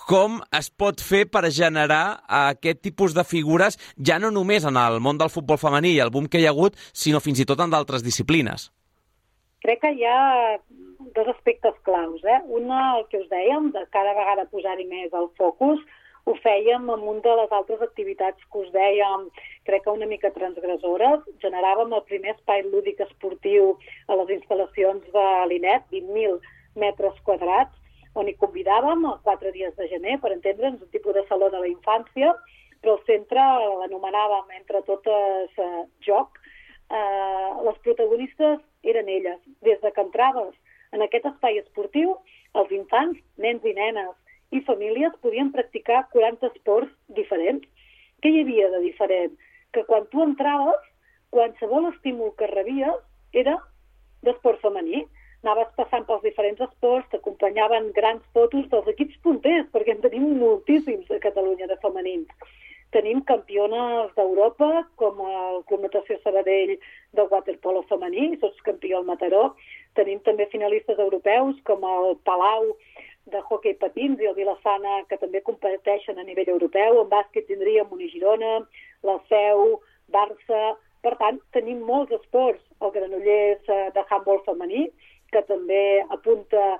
com es pot fer per generar aquest tipus de figures ja no només en el món del futbol femení i el boom que hi ha hagut, sinó fins i tot en d'altres disciplines. Crec que hi ha 2 aspectes claus. Una, el que us dèiem, de cada vegada posar-hi més el focus. Ho fèiem amb una de les altres activitats que us dèiem, crec que una mica transgressores. Generàvem el primer espai lúdic esportiu a les instal·lacions de l'INEF, 20.000 metres quadrats, on hi convidàvem 4 dies de gener, per entendre'ns, un tipus de saló de la infància, però el centre l'anomenàvem entre totes joc. Les protagonistes eren elles. Des de que entraves en aquest espai esportiu, els infants, nens i nenes, i famílies podien practicar 40 esports diferents. Què hi havia de diferent? Que quan tu entraves, qualsevol estímul que rebies era d'esport femení. Anaves passant pels diferents esports, t'acompanyaven grans fotos dels equips punters, perquè en tenim moltíssims a Catalunya de femenins. Tenim campiones d'Europa, com el Club Natació Sabadell de waterpolo femení, sots campió al Mataró. Tenim també finalistes europeus, com el Palau de hoquei patins i el Vilassana, que també competeixen a nivell europeu. En bàsquet tindríem Unigirona, la Seu, Barça. Per tant, tenim molts esports. El Granollers de handbol femení, que també apunta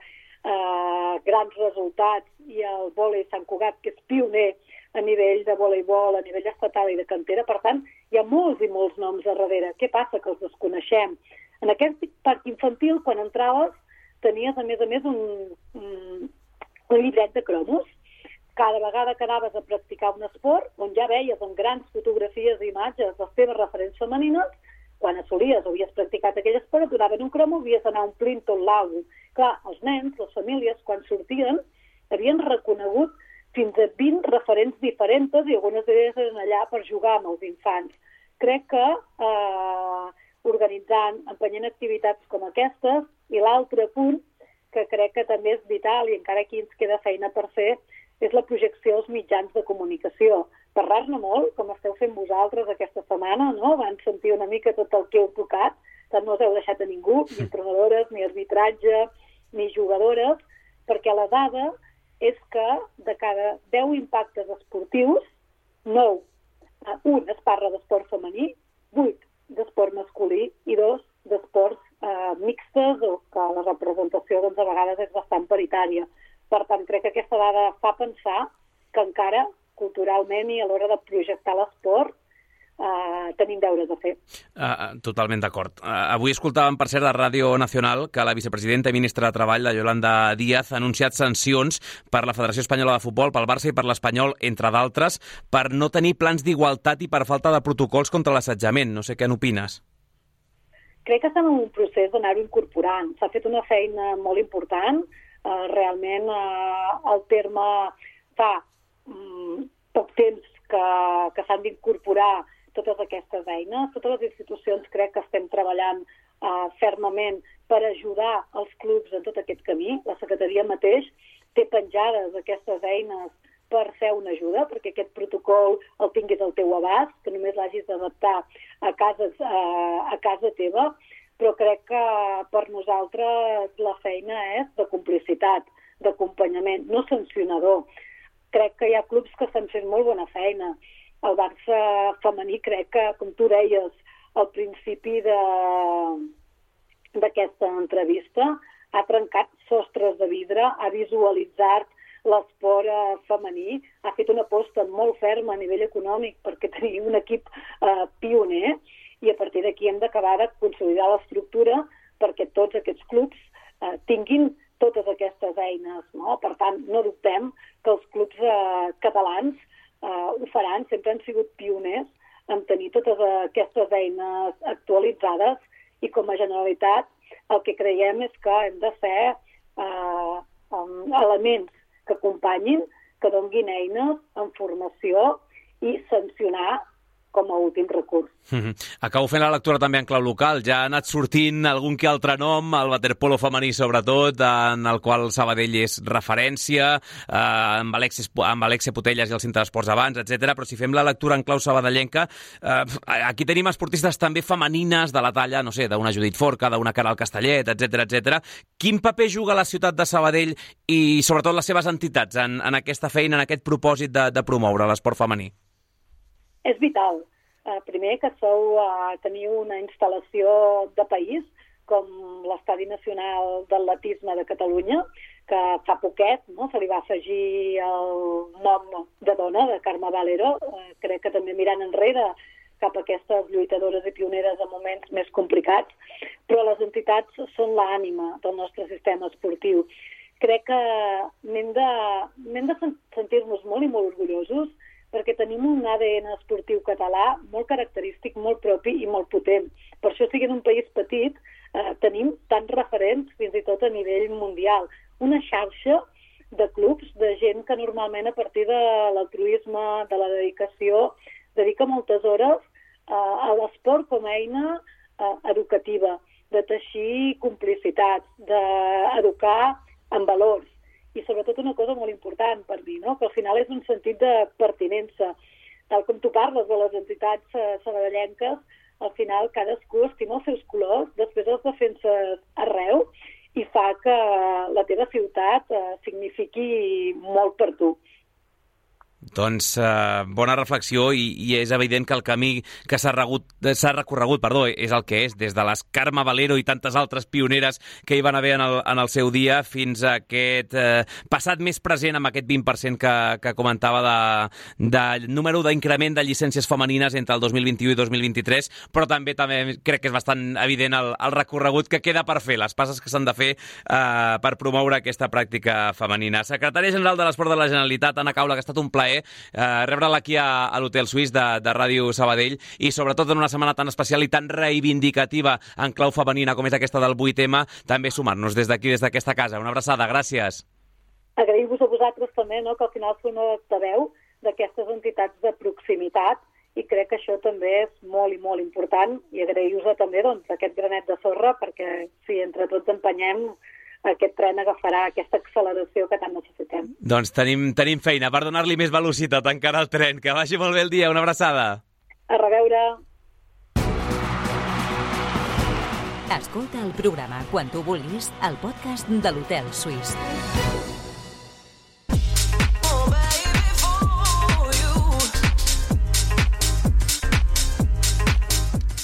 grans resultats, i el vòlei Sant Cugat, que és pioner a nivell de voleibol, a nivell estatal i de cantera. Per tant, hi ha molts i molts noms a darrere. Què passa? Que els desconeixem. En aquest parc infantil, quan entraves, tenies, a més, un llibret de cromos. Cada vegada que anaves a practicar un esport, on ja veies amb grans fotografies i imatges les teves referents femenines, quan assolies o havies practicat aquell esport, et donaven un cromo, havies d'anar omplint tot l'àlbum. Clar, els nens, les famílies, quan sortien, havien reconegut fins a 20 referents diferents i algunes d'elles eren allà per jugar amb els infants. Crec que organitzant, empenyent activitats com aquestes, I l'altre punt, que crec que també és vital i encara aquí ens queda feina per fer, és la projecció als mitjans de comunicació. Parlar-ne molt, com esteu fent vosaltres aquesta setmana, no? Van sentir una mica tot el que heu tocat, tant no us heu deixat a ningú, ni entrenadores, ni arbitratge, ni jugadores, perquè la dada és que de cada 10 impactes esportius, 9, un es parla d'esport femení, 8 d'esport masculí i 2 d'esports mixtes o que la representació doncs, a vegades és bastant paritària. Per tant, crec que aquesta dada fa pensar que encara culturalment i a l'hora de projectar l'esport tenim deures a fer. Totalment d'acord. Avui escoltàvem, per cert, a Ràdio Nacional que la vicepresidenta i ministra de Treball, la Yolanda Díaz, ha anunciat sancions per la Federació Espanyola de Futbol, pel Barça i per l'Espanyol, entre d'altres, per no tenir plans d'igualtat i per falta de protocols contra l'assetjament. No sé què n'opines. Crec que estem en un procés d'anar-ho incorporant. S'ha fet una feina molt important. Realment el terme fa poc temps que s'han d'incorporar totes aquestes eines. Totes les institucions crec que estem treballant fermament per ajudar els clubs en tot aquest camí. La secretaria mateix té penjades aquestes eines per fer una ajuda, perquè aquest protocol el tinguis al teu abast, que només l'hagis d'adaptar a casa teva, però crec que per nosaltres la feina és de complicitat, d'acompanyament, no sancionador. Crec que hi ha clubs que estan fent molt bona feina. El Barça femení crec que, com tu deies al principi d'aquesta entrevista, ha trencat sostres de vidre, ha visualitzat l'esport femení, ha fet una aposta molt ferma a nivell econòmic perquè tenim un equip pioner i a partir d'aquí hem d'acabar de consolidar l'estructura perquè tots aquests clubs tinguin totes aquestes eines, no? Per tant, no dubtem que els clubs catalans ho faran, sempre han sigut pioners en tenir totes aquestes eines actualitzades i com a Generalitat el que creiem és que hem de fer elements que acompanyin, que donguin eines en formació i sancionar com a últim recurs. Acabo fent la lectura també en clau local. Ja ha anat sortint algun que altre nom, el waterpolo femení sobretot, en el qual Sabadell és referència, amb Alexia Putellas i el Centre d'Esports abans, etc. Però si fem la lectura en clau sabadellenca, aquí tenim esportistes també femenines de la talla, no sé, d'una Judit Forca, d'una Caral Castellet, etc. Quin paper juga la ciutat de Sabadell i sobretot les seves entitats en aquesta feina, en aquest propòsit de promoure l'esport femení? És vital. Primer, que teniu una instal·lació de país, com l'Estadi Nacional d'Atletisme de Catalunya, que fa poquet se li va afegir el nom de dona, de Carme Valero. Crec que també mirant enrere cap a aquestes lluitadores i pioneres en moments més complicats, però les entitats són l'ànima del nostre sistema esportiu. Crec que n'hem de sentir-nos molt i molt orgullosos perquè tenim un ADN esportiu català molt característic, molt propi i molt potent. Per això, sent un país petit, tenim tants referents, fins i tot a nivell mundial. Una xarxa de clubs, de gent que normalment a partir de l'altruisme, de la dedicació, dedica moltes hores a l'esport com a eina educativa, de teixir complicitats, d'educar en valors. I sobretot una cosa molt important per mi, no? Que al final és un sentit de pertinença. Tal com tu parles de les entitats sabadellenques, al final cadascú estima els seus colors, després els defenses arreu i fa que la teva ciutat signifiqui molt per tu. Doncs bona reflexió i és evident que el camí que s'ha recorregut és el que és, des de les Carme Valero i tantes altres pioneres que hi van haver en el seu dia fins a aquest passat més present amb aquest 20% que comentava de número d'increment de llicències femenines entre el 2021 i 2023, però també crec que és bastant evident el recorregut que queda per fer, les passes que s'han de fer per promoure aquesta pràctica femenina. Secretària General de l'Esport de la Generalitat, Anna Caula, que ha estat un plaer rebre-la aquí a l'Hotel Suís de Ràdio Sabadell i sobretot en una setmana tan especial i tan reivindicativa en clau femenina com és aquesta del 8M, també sumar-nos des d'aquí, des d'aquesta casa. Una abraçada, gràcies. Agrair-vos a vosaltres també, no?, que al final sou una veu d'aquestes entitats de proximitat i crec que això també és molt i molt important, i agrair-vos també aquest granet de sorra, perquè si entre tots empenyem, aquest tren agafarà aquesta acceleració que tant necessitem. Doncs tenim feina per donar-li més velocitat encara al tren. Que vagi molt bé el dia. Una abraçada. A reveure. Escolta el programa quan tu vulguis al podcast de l'Hotel Suís.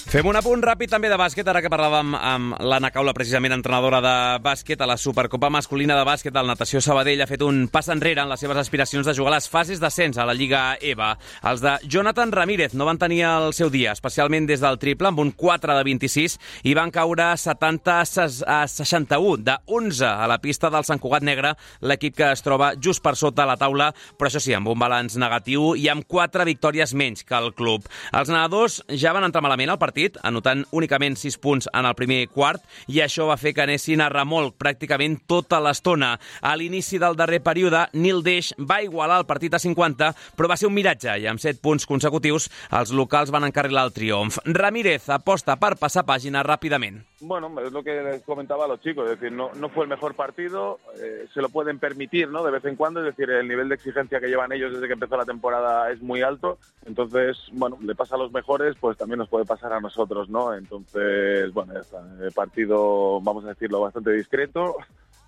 Fem un apunt ràpid també de bàsquet, ara que parlàvem amb l'Anna Caula, precisament entrenadora de bàsquet a la Supercopa masculina de bàsquet del Natació Sabadell. Ha fet un pas enrere en les seves aspiracions de jugar a les fases d'ascens a la Lliga EVA. Els de Jonathan Ramírez no van tenir el seu dia, especialment des del triple, amb un 4 de 26, i van caure 70 a 61, de 11 a la pista del Sant Cugat Negre, l'equip que es troba just per sota la taula, però això sí, amb un balanç negatiu i amb 4 victòries menys que el club. Els nedadors ja van entrar malament al partit, anotant únicament 6 punts en el primer quart, i això va fer que anessin a remolc pràcticament tota l'estona. A l'inici del darrer període, Nil Deix va igualar el partit a 50, però va ser un miratge, i amb 7 punts consecutius els locals van encarrilar el triomf. Ramírez aposta per passar pàgina ràpidament. Bueno, es lo que les comentaba a los chicos, es decir, no fue el mejor partido, se lo pueden permitir, ¿no? De vez en cuando, es decir, el nivel de exigencia que llevan ellos desde que empezó la temporada es muy alto, entonces, bueno, le pasa a los mejores, pues también nos puede pasar a nosotros, ¿no? Entonces, bueno, ya está, el partido, vamos a decirlo, bastante discreto,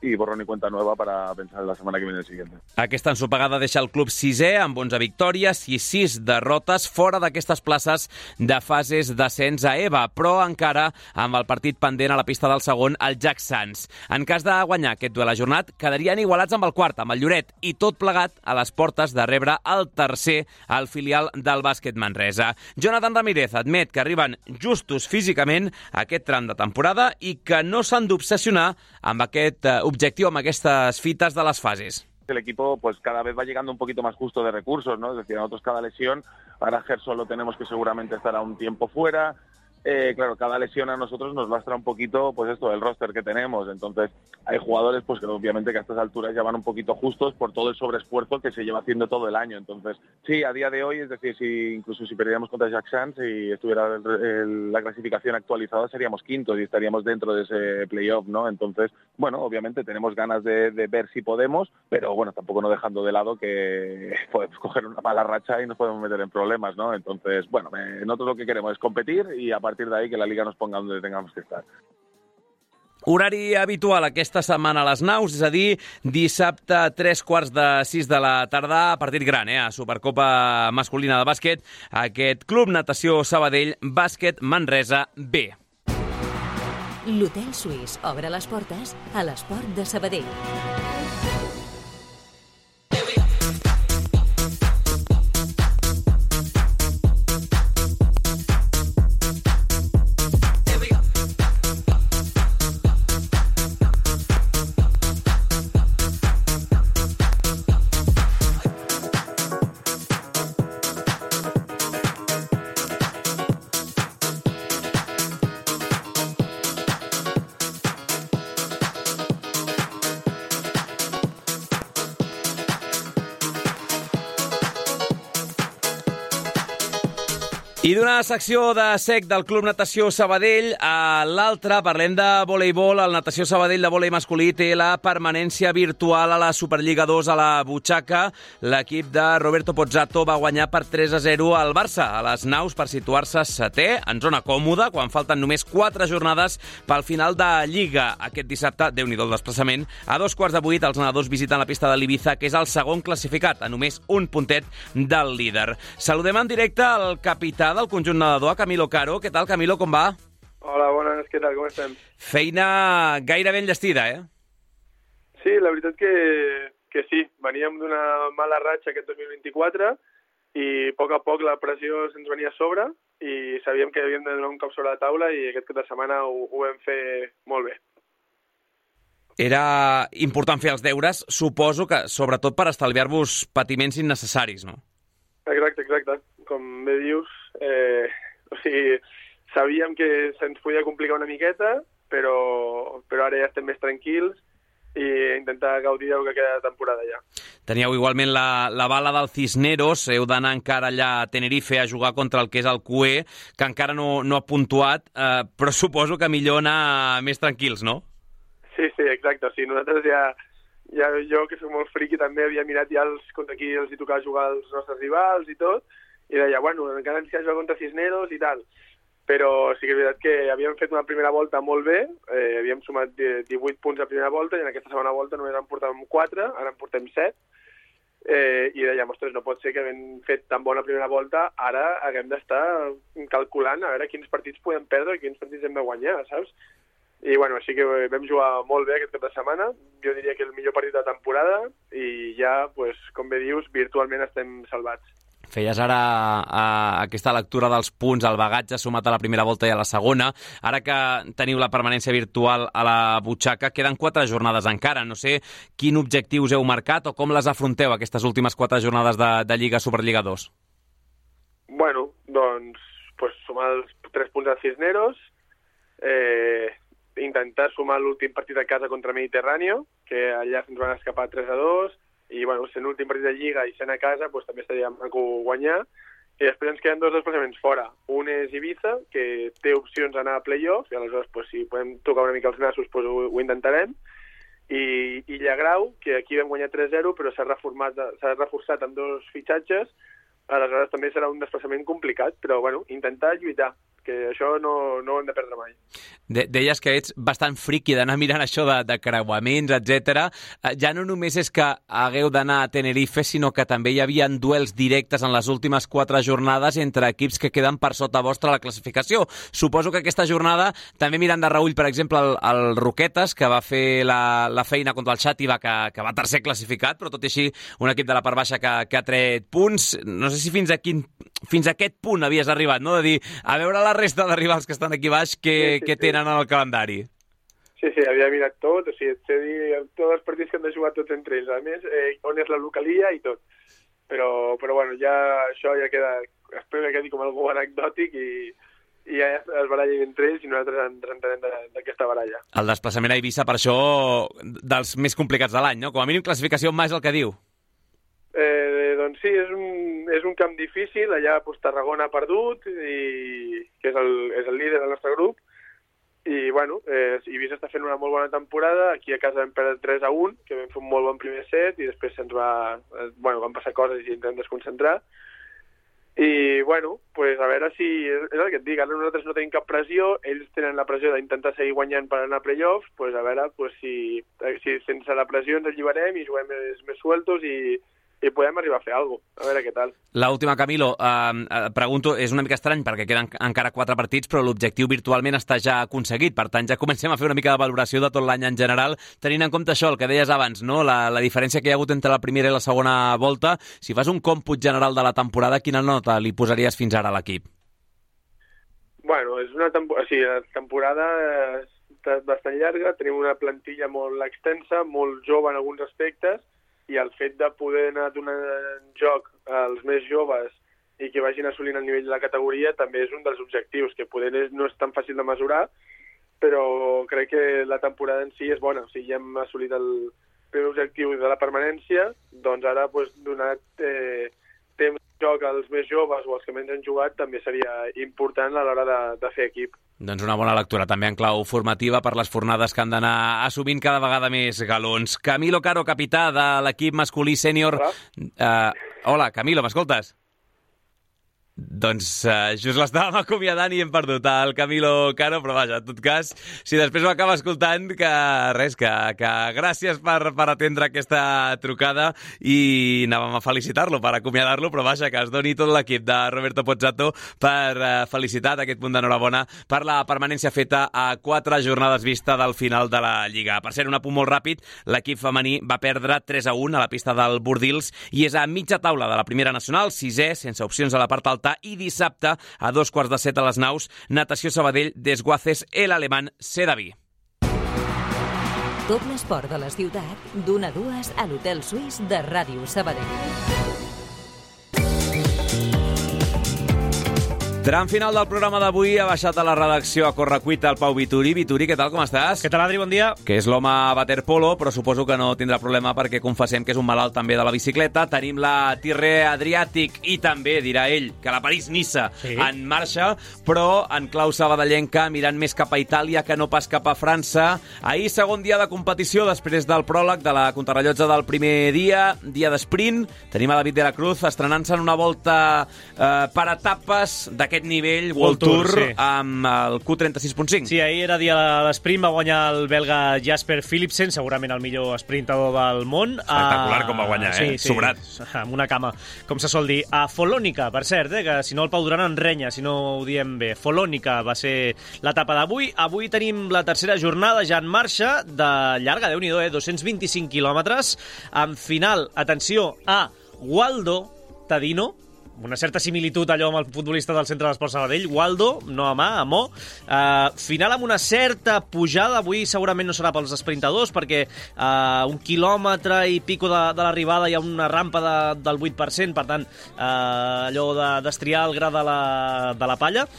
i borrón i cuenta nueva para pensar la setmana que viene el siguiente. Aquesta ensopegada deixa el club 6è amb 11 victòries i 6 derrotes fora d'aquestes places de fases d'ascens a EVA, però encara amb el partit pendent a la pista del segon, el Jack Sands. En cas de guanyar aquest duel ajornat, quedarien igualats amb el quart, amb el Lloret, i tot plegat a les portes de rebre el tercer al filial del bàsquet Manresa. Jonathan Ramírez admet que arriben justos físicament a aquest tram de temporada i que no s'han d'obsessionar amb aquest objectiu, amb aquestes fites de les fases. El equipo pues cada vez va llegando un poquito más justo de recursos, ¿no? Es decir, nosotros cada lesión, ahora Gerson lo tenemos que seguramente estará un tiempo fuera. Claro, cada lesión a nosotros nos lastra un poquito, pues esto, el roster que tenemos. Entonces, hay jugadores, pues que obviamente que a estas alturas ya van un poquito justos por todo el sobreesfuerzo que se lleva haciendo todo el año. Entonces, sí, a día de hoy, es decir, incluso si perdiéramos contra Jack Sands y estuviera la clasificación actualizada, seríamos quintos y estaríamos dentro de ese playoff, ¿no? Entonces, bueno, obviamente tenemos ganas de ver si podemos, pero bueno, tampoco no dejando de lado que podemos coger una mala racha y nos podemos meter en problemas, ¿no? Entonces, bueno, nosotros lo que queremos es competir y a partir de ahí que la Liga nos ponga donde tengamos que estar. Horari habitual aquesta setmana a les naus, és a dir, dissabte a 3:45 de la tarda, partit gran, a Supercopa masculina de bàsquet, aquest Club Natació Sabadell, Bàsquet Manresa B. L'Hotel Suís obre les portes a l'esport de Sabadell. I d'una secció de SEC del Club Natació Sabadell a l'altra parlem de voleibol. El Natació Sabadell de volei masculí té la permanència virtual a la Superliga 2 a la butxaca. L'equip de Roberto Pozzato va guanyar per 3-0 al Barça a les naus per situar-se setè, en zona còmoda, quan falten només 4 jornades pel final de Lliga. Aquest dissabte, Déu-n'hi-do el desplaçament, a 7:15 els nedadors visiten la pista de l'Ibiza, que és el segon classificat, a només un puntet del líder. Saludem en directe al capità del conjunt nedador, Camilo Caro. Què tal, Camilo, com va? Hola, bones, què tal, com estem? Feina gairebé enllestida, eh? Sí, la veritat que sí. Veníem d'una mala ratxa aquest 2024 i a poc la pressió se'ns venia a sobre i sabíem que havíem de donar un cop sobre la taula i aquest cap de setmana ho vam fer molt bé. Era important fer els deures, suposo que sobretot per estalviar-vos patiments innecessaris, no? Exacte. Com bé dius, sabíem que se'ns podia complicar una miqueta, però ara ja estem més tranquils i intentar gaudir del que queda de temporada ja. Teníeu igualment la bala del Cisneros, heu d'anar encara allà a Tenerife a jugar contra el que és el CUE, que encara no ha puntuat, però suposo que millor anar més tranquils, no? Sí, exacte. O sigui, nosaltres ja jo, que soc molt friqui, també havia mirat ja contra qui els hi tocava jugar els nostres rivals i tot, i deia, bueno, encara ens queda jugar contra Cisneros i tal. Però sí que és veritat que havíem fet una primera volta molt bé, havíem sumat 18 punts a primera volta i en aquesta segona volta només en portàvem 4, ara en portem 7, i dèiem, ostres, no pot ser que havent fet tan bona primera volta, ara haguem d'estar calculant a veure quins partits podem perdre i quins partits hem de guanyar, saps? I bueno, així que vam jugar molt bé aquest cap de setmana, jo diria que el millor partit de temporada i ja, pues, com bé dius, virtualment estem salvats. Feies ara aquesta lectura dels punts, el bagatge sumat a la primera volta i a la segona. Ara que teniu la permanència virtual a la butxaca, queden 4 jornades encara. No sé quin objectiu us heu marcat o com les afronteu, aquestes últimes 4 jornades de Lliga Superliga 2. Bueno, doncs sumar els 3 punts a Cisneros, intentar sumar l'últim partit a casa contra Mediterráneo, que allà se'ns van escapar 3-2, i bueno, sent l'últim partit de Lliga i sent a casa, també estaria maco guanyar. I després ens queden 2 desplaçaments fora. Un és Ibiza, que té opcions d'anar a play-off, i aleshores si podem tocar una mica els nassos ho intentarem. I Llagrau, que aquí vam guanyar 3-0, però s'ha reforçat amb 2 fitxatges, aleshores també serà un desplaçament complicat, però bueno, intentar lluitar, que això no ho hem de perdre mai. Deies que ets bastant friqui d'anar mirant això de creuaments, etc. Ja no només és que hagueu d'anar a Tenerife, sinó que també hi havia duels directes en les últimes 4 jornades entre equips que queden per sota vostra a la classificació. Suposo que aquesta jornada, també mirant de reüll, per exemple, el Roquetes, que va fer la feina contra el Xàtiva, que va tercer classificat, però tot i així un equip de la part baixa que ha tret punts. No sé si fins a aquest punt havies arribat, no? De dir, a veure la resta de rivals que estan aquí baix, què tenen en el calendari. Sí, havia mirat tot, o sigui, et sé dir tots els partits que han de jugar tots entre ells, a més, on és la localia i tot. Però bueno, això ja queda, espero que quedi com algú anecdòtic i ja es barallen entre ells i nosaltres ens entenem d'aquesta baralla. El desplaçament a Eivissa, per això, dels més complicats de l'any, no? Com a mínim classificació en és el que diu. Doncs sí, és un camp difícil, allà Tarragona ha perdut, que és el líder del nostre grup, i bueno, Eivissa està fent una molt bona temporada, aquí a casa vam perdre 3-1, que vam fer un molt bon primer set, i després van passar coses i ens vam desconcentrar, i bueno, a veure si, és el que et dic, ara nosaltres no tenim cap pressió, ells tenen la pressió d'intentar seguir guanyant per anar a playoffs, a veure si sense la pressió ens alliberem i juguem més sueltos i podem arribar a fer alguna cosa, a veure què tal. L'última, Camilo, pregunto, és una mica estrany perquè queden encara 4 partits, però l'objectiu virtualment està ja aconseguit, per tant ja comencem a fer una mica de valoració de tot l'any en general, tenint en compte això, el que deies abans, no? La diferència que hi ha hagut entre la primera i la segona volta. Si fas un còmput general de la temporada, quina nota li posaries fins ara a l'equip? Bueno, la temporada és bastant llarga, tenim una plantilla molt extensa, molt jove en alguns aspectes, i el fet de poder anar donant joc als més joves i que vagin assolint el nivell de la categoria també és un dels objectius, que poder no és tan fàcil de mesurar, però crec que la temporada en si és bona. O sigui, ja hem assolit el primer objectiu de la permanència, doncs ara donar temps de joc als més joves o als que menys han jugat també seria important a l'hora de fer equip. Doncs una bona lectura, també en clau formativa per les fornades que han d'anar assumint cada vegada més galons. Camilo Caro, capità de l'equip masculí sènior. Hola, Camilo, m'escoltes? Doncs just l'estàvem acomiadant i hem perdut el Camilo Caro, però vaja, en tot cas, si després ho acaba escoltant, que gràcies per atendre aquesta trucada i anàvem a felicitar-lo, per acomiadar-lo, però vaja, que es doni tot l'equip de Roberto Pozzato per felicitar aquest punt d'enhorabona per la permanència feta a 4 jornades vista del final de la Lliga. Per ser un apunt molt ràpid, l'equip femení va perdre 3-1 a la pista del Bordils i és a mitja taula de la primera nacional, 6è, sense opcions a la part alta, i dissabte, a 6:45 a les Naus, Natació Sabadell, Desguaces, el alemán Sedaví. Tot l'esport de la ciutat, d'1 a 2 a l'Hotel Suís de Ràdio Sabadell. Tram final del programa d'avui, ha baixat a la redacció a correcuita el Pau Vituri. Vituri, què tal, com estàs? Què tal, Adri? Bon dia. Que és l'home waterpolo, però suposo que no tindrà problema perquè confessem que és un malalt també de la bicicleta. Tenim la Tirrea Adriàtic i també, dirà ell, que la París-Niça en marxa, però en clau sabadellenca, mirant més cap a Itàlia que no pas cap a França. Ahir, segon dia de competició, després del pròleg de la contrarellotge del primer dia d'esprint. Tenim a David de la Cruz estrenant-se en una volta per etapes d'aquest nivell, World Tour, sí, amb el Q36.5. Sí, ahir era dia de l'esprint, va guanyar el belga Jasper Philipsen, segurament el millor sprintador del món. Espectacular com va guanyar, sí, sobrat. Amb una cama, com se sol dir. A Folònica, per cert, que si no el Pau Duran enrenya, si no ho diem bé. Folònica va ser l'etapa d'avui. Avui tenim la tercera jornada ja en marxa, de llarga, Déu-n'hi-do, 225 quilòmetres, amb final, atenció, a Waldo Tadino, una certa similitud allò amb el futbolista del Centre d'Esports Sabadell, Waldo, no a mà, a Mo. Final amb una certa pujada, avui segurament no serà pels esprintadors, perquè un quilòmetre i pico de l'arribada hi ha una rampa del 8%, per tant, allò d'estriar el gra de la palla.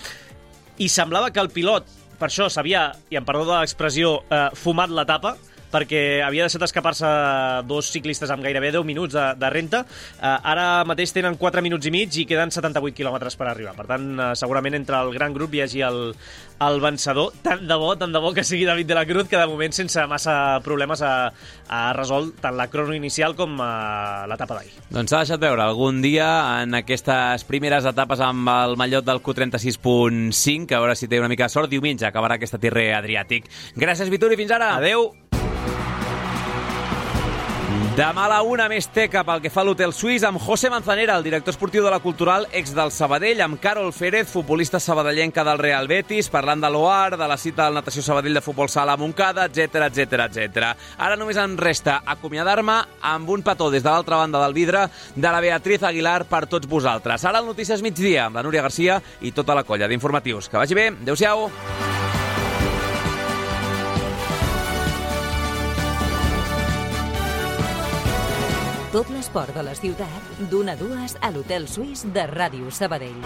I semblava que el pilot, per això s'havia, i em perdó de l'expressió, fumat l'etapa, perquè havia deixat escapar-se dos ciclistes amb gairebé 10 minuts de renta. Ara mateix tenen 4 minuts i mig i queden 78 quilòmetres per arribar. Per tant, segurament entre el gran grup hi hagi el vencedor. Tant de bo que sigui David de la Cruz, que de moment sense massa problemes ha resolt tant la crono inicial com l'etapa d'ahir. Doncs s'ha deixat veure algun dia en aquestes primeres etapes amb el mallot del Q36.5, a veure si té una mica de sort. Diumenge acabarà aquesta Tirrea Adriàtic. Gràcies, Vituri, fins ara. Adeu. Demà a la 1 més teca pel que fa a l'Hotel Suís amb José Manzanera, el director esportiu de la Cultural, ex del Sabadell, amb Carol Férez, futbolista sabadellenca del Real Betis, parlant de l'OAR, de la cita del Natació Sabadell de Futbol Sala a Montcada, etc. Ara només em resta acomiadar-me amb un petó des de l'altra banda del vidre de la Beatriz Aguilar per tots vosaltres. Ara el Notícies Migdia amb la Núria Garcia i tota la colla d'informatius. Que vagi bé, adéu-siau. Tot l'esport de la ciutat, d'1 a 2 a l'Hotel Suís de Ràdio Sabadell.